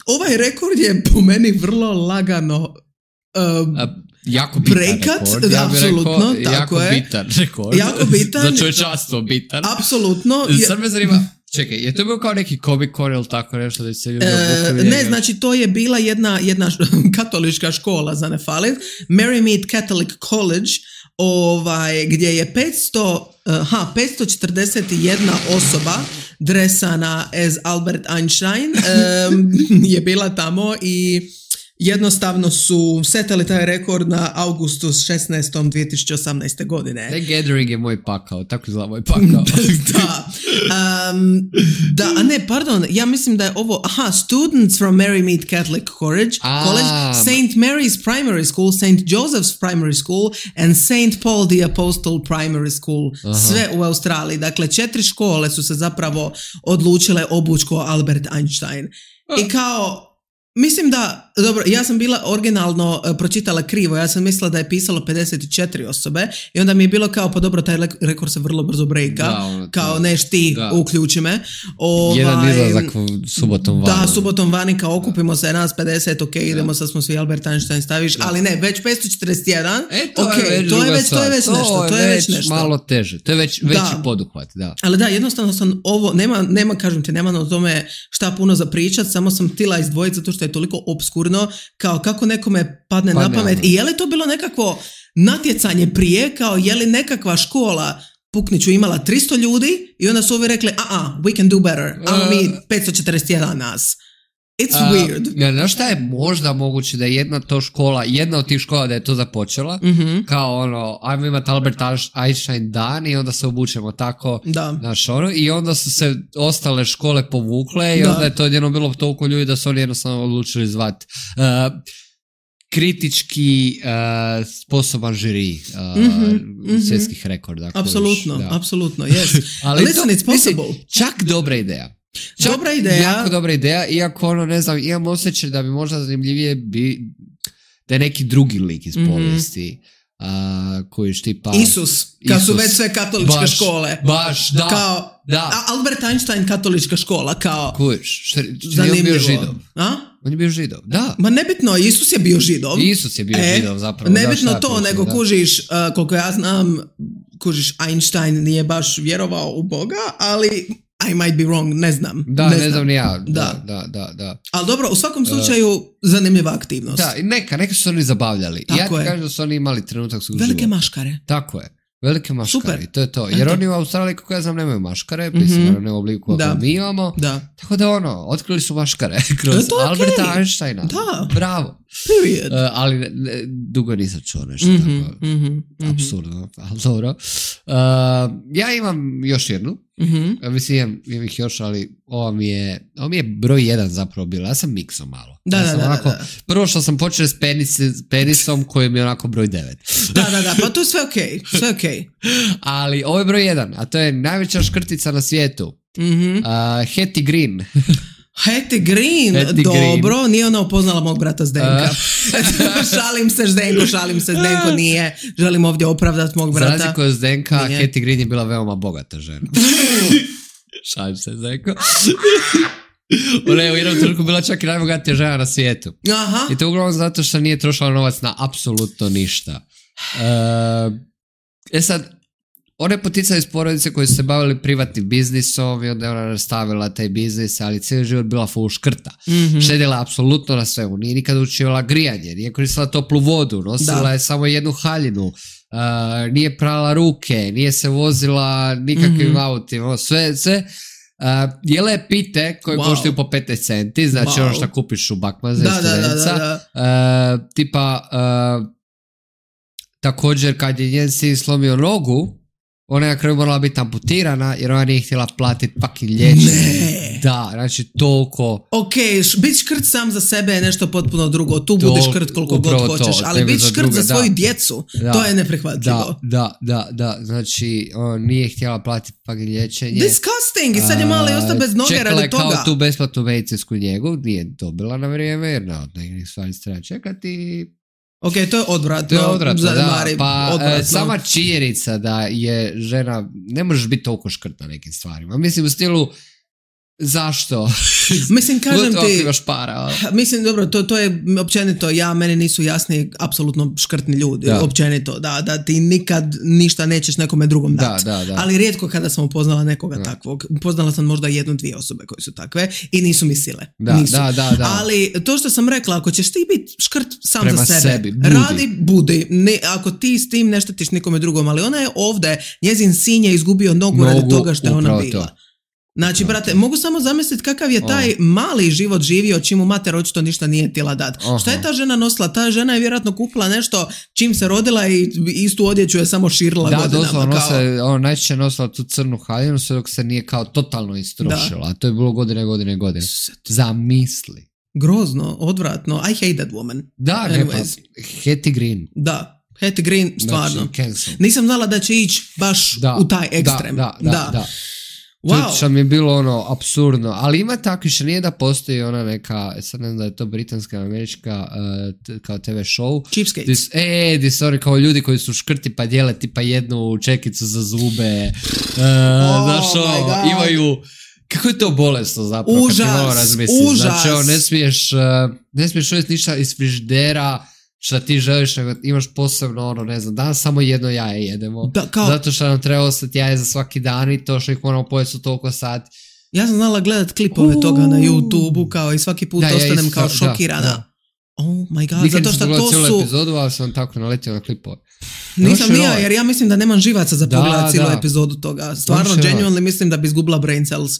ovaj rekord je po meni vrlo lagano um, A, jako bitan prekat, rekord. Ja apsolutno, rekao, tako jako je. bitan rekord. Jako bitan. Za čovječanstvo bitan. Apsolutno. Sad me zanima, čekaj, je to bio kao neki Comic Con ili tako nešto da se ljudi e, obukali? Ne, znači to je bila jedna, jedna katolička škola, za ne falit, Marymead Catholic College, ovaj, gdje je petsto, aha, petsto četrdeset jedna osoba dresana as Albert Einstein um, je bila tamo i jednostavno su setali taj rekord na Augustus šesnaestom dvije tisuće osamnaeste. godine. The Gathering je moj pakao, tako izgleda moj pakao. da. Um, da, a ne, pardon, ja mislim da je ovo, aha, students from Mary Mead Catholic College, A, College Saint Mary's Primary School, Saint Joseph's Primary School and Saint Paul the Apostle Primary School, aha. Sve u Australiji. Dakle, četiri škole su se zapravo odlučile obući ko Albert Einstein. I kao, mislim da, dobro, ja sam bila originalno uh, pročitala krivo, ja sam mislila da je pisalo pedeset četiri osobe i onda mi je bilo kao, pa dobro, taj rekord se vrlo brzo brejka, da, ono, kao neš ti, da. Uključi me. Ovaj, Jedan izlazak subotom vani. Da, subotom vani, kao okupimo se nas pedeset, ok, da. Idemo, sad smo svi Albert Einstein staviš, da. Ali ne, već petsto četrdeset jedan, e, to, okay, je već to, je već, to je već nešto, to je već nešto. Malo teže, to je već veći da. Poduhvat, da. Ali da, jednostavno sam ovo, nema, nema kažem ti, nema na tome šta puno za pričat, samo sam htjela izdvojiti zato što je toliko obskurno, kao kako nekome padne pa na pamet. Ne, ne. I je li to bilo nekakvo natjecanje prije, kao je li nekakva škola Pukniću imala tristo ljudi i onda su ovi rekli, a a, we can do better, a mi petsto četrdeset jedan nas. It's uh, weird. Ja, znaš šta je možda moguće da je jedna to škola, jedna od tih škola da je to započela, mm-hmm. kao ono, ajmo imati Albert Einstein dan i onda se obučemo tako, znaš ono, i onda su se ostale škole povukle i da. Onda je to jedno bilo toliko ljudi da su oni jednostavno odlučili zvati uh, kritički uh, sposoban žiri uh, mm-hmm. svjetskih rekorda. Apsolutno, apsolutno, yes. Ali listen, to, it's possible. Mislim, čak dobra ideja. Čak dobra ideja. Jako dobra ideja, iako ono, ne znam, imam osjećaj da bi možda zanimljivije bi, da je neki drugi lik iz mm-hmm. povijesti. Uh, koji štipa Isus, kad su već sve katoličke baš, škole. Baš, da. Kao, da. Albert Einstein katolička škola, kao. Kuš, što je bio židov. A? On je bio židov, da. Ma nebitno, Isus je bio židov. Isus je bio e, židov, zapravo. Nebitno da, to, kuži, nego da. kužiš, uh, koliko ja znam, kužiš, Einstein nije baš vjerovao u Boga, ali I might be wrong, ne znam. Da, ne, ne znam ni ja. Da. Da, da, da, da. Ali dobro, u svakom slučaju uh, zanimljiva aktivnost. Da, neka, neka su oni zabavljali. Tako ja ti kažem da su oni imali trenutak svog Velike života. Maškare. Tako je. Velike maškare, super. To je to. Jer Eto. Oni u Australiji, kako ja znam, nemaju maškare, mislim, mm-hmm. ne u obliku kako mi imamo. Da. Tako da ono, otkrili su maškare kroz Alberta okay. Einsteina. Da. Bravo. Period. Uh, ali ne, ne, dugo nisam čuo nešto mm-hmm. tako. Mm-hmm. Apsurdno, ali dobro. Uh, ja imam još jednu. Mm-hmm. Mislim, imam, imam ih još, ali ova mi je, ova mi je broj jedan zapravo bila. Ja sam mikso malo. Da, ja da, sam da, onako, da, da. Prvo što sam počeo s penis, penisom koji mi je onako broj devet. Da, da, da, pa to je sve okej, okay. sve okej. Okay. Ali ovo je broj jedan, a to je najveća škrtica na svijetu. Mm-hmm. Uh, Hattie Green. Hattie Green, Hattie dobro, Green. Nije ona upoznala mog brata Zdenka. Uh. šalim se Zdenko, šalim se Zdenko, nije. Želim ovdje opravdati mog brata. Za razliku od Zdenka, nije. Hattie Green je bila veoma bogata žena. Šalim se Zdenko. Ona je u jednom trenutku bila čak i najbogatija žena na svijetu. Aha. I to uglavnom zato što nije trošila novac na apsolutno ništa. Uh, e sad, ona je poticala iz porodice koji su se bavili privatnim biznisom i onda je ona nastavila taj biznis, ali cijeli život bila full škrta. Mm-hmm. Štedila apsolutno na svemu. Nije nikad učivala grijanje, nije koristila toplu vodu, nosila da. Je samo jednu haljinu, uh, nije prala ruke, nije se vozila nikakvim mm-hmm. autima, sve, sve. Uh, jela je pite koje wow. koštaju po petnaest centi, znači wow. ono što kupiš u Bakmaze da, da, da, da, da. Uh, tipa uh, također kad je njen sin slomio nogu, ona je na kraju morala biti amputirana jer ona nije htjela platiti fucking liječenje. Da, znači toliko. Ok, biti škrt sam za sebe je nešto potpuno drugo. Tu budi škrt koliko god hoćeš, to, ali biti škrt za svoju da. Djecu, da. To je neprihvatljivo. Da, da, da, da. Znači, on nije htjela platiti fucking liječenje. Disgusting! I sad je malo i ostao bez noge radi toga. Čekala je kao tu besplatnu medicinsku njegu, nije dobila na vrijeme jer na od nekih stvari se treba čekati. Ok, to je odvratno. To je odvratno, Zanimari, da. Pa odvratno. Sama činjenica da je žena, ne možeš biti toliko škrt na nekim stvarima. Mislim u stilu, zašto? Mislim, kažem ti, imaš para. Mislim, dobro, to, to je općenito, ja, meni nisu jasni apsolutno škrtni ljudi, da. Općenito, da, da ti nikad ništa nećeš nekome drugom dati. Da, da, da. Ali rijetko kada sam upoznala nekoga da. Takvog, upoznala sam možda jednu, dvije osobe koje su takve i nisu mi sile. Da, nisu. Da, da, da. Ali to što sam rekla, ako ćeš ti biti škrt sam prema za sebe, sebi, budi. Radi, budi. Ne, ako ti s tim ne štetiš nikome drugom, ali ona je ovdje, njezin sin je izgubio nogu, nogu radi toga što je ona bila. To. Znači, brate, mogu samo zamisliti kakav je taj mali život živio čim mu mater očito ništa nije htjela dati. Šta je ta žena nosila? Ta žena je vjerojatno kupila nešto čim se rodila i istu odjeću je samo širila da, godinama. Da, doslovno nosa, ono, najčešće nosila tu crnu haljinu sve dok se nije kao totalno istrošila. A to je bilo godine, godine, godine. Zamisli. Grozno, odvratno. I hate that woman. Da, ne pa, Hetty Green. Da, Hetty Green, stvarno. Znači, nisam znala da će ići baš da, u taj ekstrem. Da, da, da. da. da. Wow. Što mi je bilo ono apsurdno, ali ima takvi što nije da postoji ona neka, sad ne znam da je to britanska, američka uh, t- kao te ve show. Cheapskates. E, di su oni kao ljudi koji su škrti pa dijele tipa jednu čekicu za zube, uh, oh, znaš ono, imaju, kako je to bolesno zapravo, užas, kad ti malo razmisliš. Užas. Znači ono, ne smiješ, uh, ne smiješ uvijek ništa iz frižidera, šta ti želiš, nego imaš posebno ono, ne znam, danas samo jedno jaje jedemo, da, kao... zato što nam treba ostati jaje za svaki dan i to što ih moramo pojesti u toliko sati. Ja sam znala gledat klipove uh, toga na YouTube-u kao i svaki put da, ostanem ja kao šokirana. Da, da. Oh my god, nikad zato što to su... Nikad cijelu epizodu, ali sam tako naletio na klipove. Nisam nija, jer ja mislim da nemam živaca za pogledat cijelu epizodu toga. Stvarno, genuinely mislim da bi izgubila brain cells.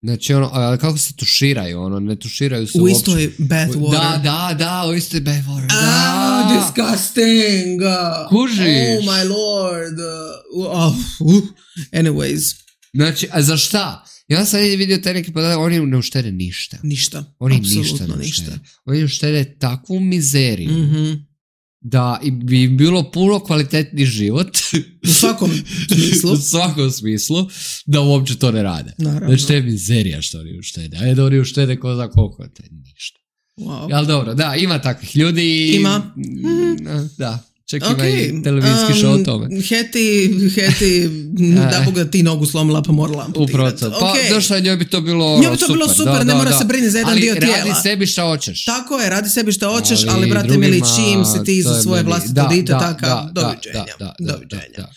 Znači ono, ali kako se tuširaju, ono, ne tuširaju se u uopće. istoj bathwater. Da, da, da, u istoj bathwater, da. Ah, disgusting. Kužiš. Oh my lord. Uh, uh. Anyways. Znači, a za šta? Ja sam vidio taj neki podatak, oni ne uštede ništa. Ništa, oni apsolutno ništa. ništa. Oni uštede takvu mizeriju. Mm-hmm. Da bi bilo puno kvalitetni život u svakom smislu u svakom smislu da uopće to ne rade. Naravno. Znači to je mizerija što oni uštede, a je da oni uštede ko za koliko, to je ništa. Wow. Ali dobro, da, ima takvih ljudi. Ima. Mm, da, čak okay. Ima i televizijski um, show o tome. Heti, Heti, da boga ti nogu slomila pa morala amputirati. Upravo to. Pa okay. došlo njoj bi to bilo njoj bi to super. bilo super, da, ne da, mora da. se brini za jedan ali dio tijela. Ali radi sebi šta hoćeš. Tako je, radi sebi šta hoćeš, ali, ali brate drugima, mili, čim si ti za svoje vlastito da, dite, da, takav, da, doviđenja. Da, da, doviđenja. Da, da.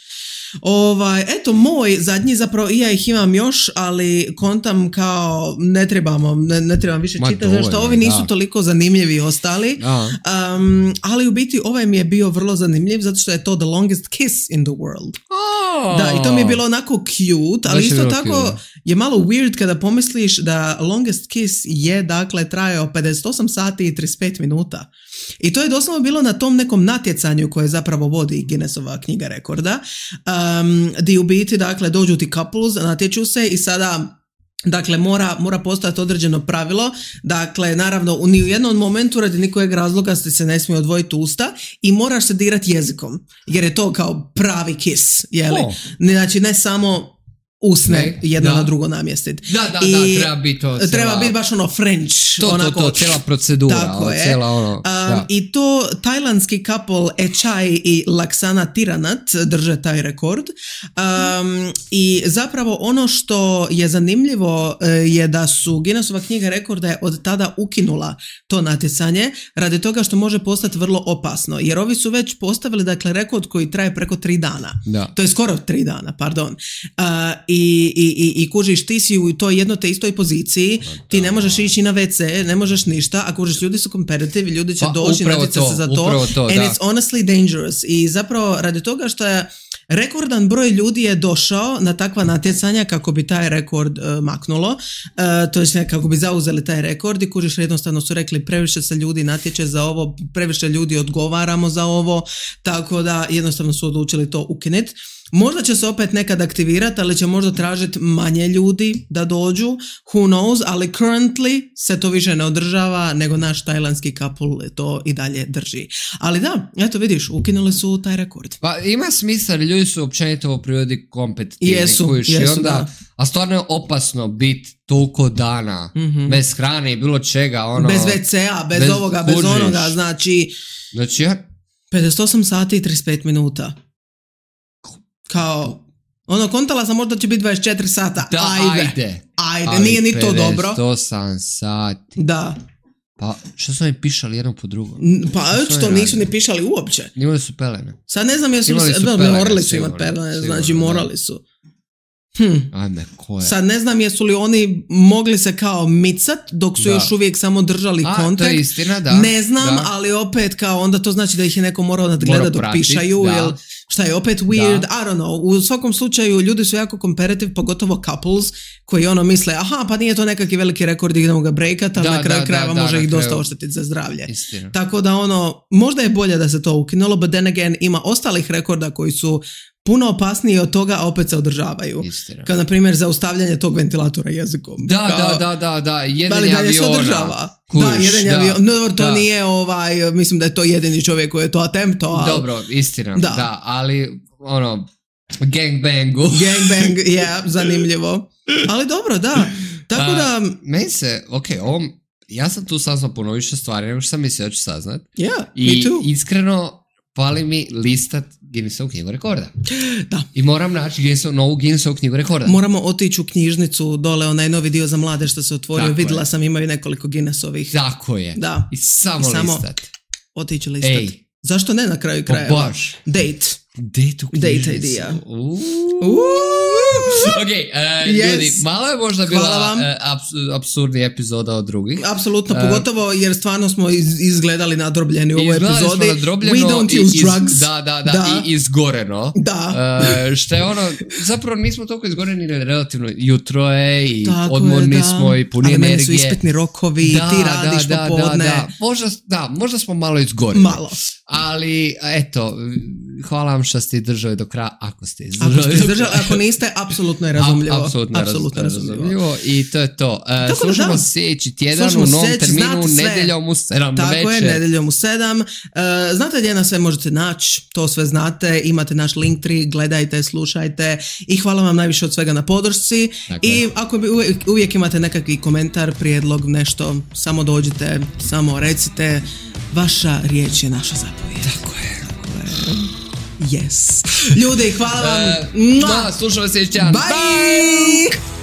Ovaj, eto, moj zadnji, zapravo i ja ih imam još, ali kontam kao ne trebamo, ne, ne trebam više čitati, zašto ovi nisu da. toliko zanimljivi ostali. Um, ali u biti ovaj mi je bio vrlo zanimljiv, zato što je to The Longest Kiss in the World. Oh. Da, i to mi je bilo onako cute, ali isto tako cute. Je malo weird kada pomisliš da Longest Kiss je, dakle, trajao pedeset osam sati i trideset pet minuta. I to je doslovno bilo na tom nekom natjecanju koje zapravo vodi Guinnessova knjiga rekorda, um, di u biti, dakle, dođu ti couples, natječu se i sada, dakle, mora, mora postojati određeno pravilo, dakle, naravno, ni u jednom momentu radi nikojeg razloga se ne smije odvojiti usta i moraš se dirati jezikom, jer je to kao pravi kiss, jeli? Oh. Znači, ne samo usne ne, jedno da. na drugo namjestiti. Da, da, I da, treba biti to. Cijela, treba biti baš ono French. To, onako, to, to, cijela procedura. Tako je. Cijela ono, um, I to tajlandski couple Echai i Laksana Tiranat drže taj rekord. Um, I zapravo ono što je zanimljivo je da su Guinnessova knjiga rekorda je od tada ukinula to natjecanje radi toga što može postati vrlo opasno. Jer ovi su već postavili, dakle, rekord koji traje preko tri dana. Da. To je skoro tri dana, pardon. Uh, I, i, i kužiš, ti si u toj jedno te istoj poziciji, ti ne možeš ići na ve ce, ne možeš ništa, a kužiš, ljudi su competitive, ljudi će pa, doći natjecati se za to, to and da. it's honestly dangerous. I zapravo radi toga što je rekordan broj ljudi je došao na takva natjecanja kako bi taj rekord uh, maknulo, uh, to je kako bi zauzeli taj rekord i kužiš, jednostavno su rekli previše se ljudi natječe za ovo, previše ljudi odgovaramo za ovo, tako da jednostavno su odlučili to ukinuti. Možda će se opet nekad aktivirati, ali će možda tražiti manje ljudi da dođu, who knows, ali currently se to više ne održava, nego naš tajlandski couple to i dalje drži. Ali da, eto vidiš, ukinuli su taj rekord. Pa ima smisla, ljudi su općenito u prirodi kompetitivni. Jesu, jesu, onda, da. A stvarno je opasno biti toliko dana, mm-hmm. bez hrane i bilo čega. Ono, bez ve cea, bez, bez ovoga, bez kužiš. Onoga, znači... Znači ja... pedeset osam sati i trideset pet minuta. Kao, ono, kontala sam možda će biti dvadeset četiri sata. Da, ajde. Ajde, ajde. ajde. Nije ni to dobro. pedeset osam sati. Da. Pa, što su oni pišali jedno po drugom? Pa, što nisu ni pišali uopće. Imali su pelene. Sad ne znam jesu li... Su pelene, morali su sigurno, imati pelene, sigurno, znači da. morali su. Hm. Ajme, ko je? Sad ne znam jesu li oni mogli se kao micat dok su da. još uvijek samo držali A, kontakt. To je istina, da. Ne znam, da. ali opet kao onda to znači da ih je neko morao nadgledati dok pratit, pišaju. Da. Jel, šta je opet weird, da. I don't know. U svakom slučaju ljudi su jako competitive, pogotovo couples koji ono misle, aha, pa nije to nekakvi veliki rekord, idemo ga breakat, ali da, na kraju da, krajeva da, može da, ih dosta oštetiti za zdravlje. Istina. Tako da ono, možda je bolje da se to ukinulo, but then again ima ostalih rekorda koji su puno opasniji od toga, a opet se održavaju. Istina. Kao na primjer zaustavljanje tog ventilatora jezikom. Da, kao, da, da, da, da, jedenje aviona. Se održava. Kuš, da, jedenje da, aviona. No, to da. Nije ovaj, mislim da je to jedini čovjek koji je to attempto. Ali... Dobro, istina, da. da, ali ono, gangbangu. Gangbang, je, yeah, zanimljivo. Ali dobro, da. Tako da... Uh, meni se, ok, ovom, ja sam tu saznao puno više stvari nego što sam mislio da ću saznat. Yeah, I me too. Iskreno, pali mi listat Guinnessovu knjigu rekorda. Da. I moram naći Guinnessov, novu Guinnessovu knjigu rekorda. Moramo otići u knjižnicu, dole onaj novi dio za mlade što se otvorio. Tako Vidjela je. Sam, imaju nekoliko Guinnessovih. Tako je. Da. I samo, I samo listat. Otići listat. Ej. Zašto ne na kraju krajeva? Baš. Date. Date u knjižnicu. Date idea. Uuu. Ok, uh, yes. Ljudi, malo je možda bila uh, abs- absurdni epizoda od drugih. Apsolutno, uh, pogotovo jer stvarno smo iz, izgledali nadrobljeni u ovoj epizodi. We don't use iz, drugs. Da, da, da, da. I izgoreno. Da. Uh, što je ono, zapravo nismo toliko izgoreni, relativno jutro je i tako odmorni je, da. smo i puni ali energije. Ali meni su ispitni rokovi, da, ti radiš da, popodne. Da, da, možda, da, možda smo malo izgoreni. Malo. Ali, eto, hvala vam što ste držali do kraja, ako ste izdržali. Ako ste izdržali, ako niste, apsolutno je razumljivo. Apsolutno, apsolutno raz, razumljivo. razumljivo. I to je to. Uh, slušamo da. sljedeći tjedan slušamo u novom seć, terminu, nedeljom u sedam. Tako večer. je, nedeljom u sedam. Uh, znate gdje nas sve možete naći, to sve znate, imate naš Linktree, gledajte, slušajte i hvala vam najviše od svega na podršci. Dakle. I ako bi uvijek, uvijek imate nekakvi komentar, prijedlog, nešto, samo dođite, samo recite, vaša riječ je naša zapovijed. Tako je. Tako je. Yes. Ljudi, hvala vam. Uh, da, slušamo se još jedan. Bye! Bye!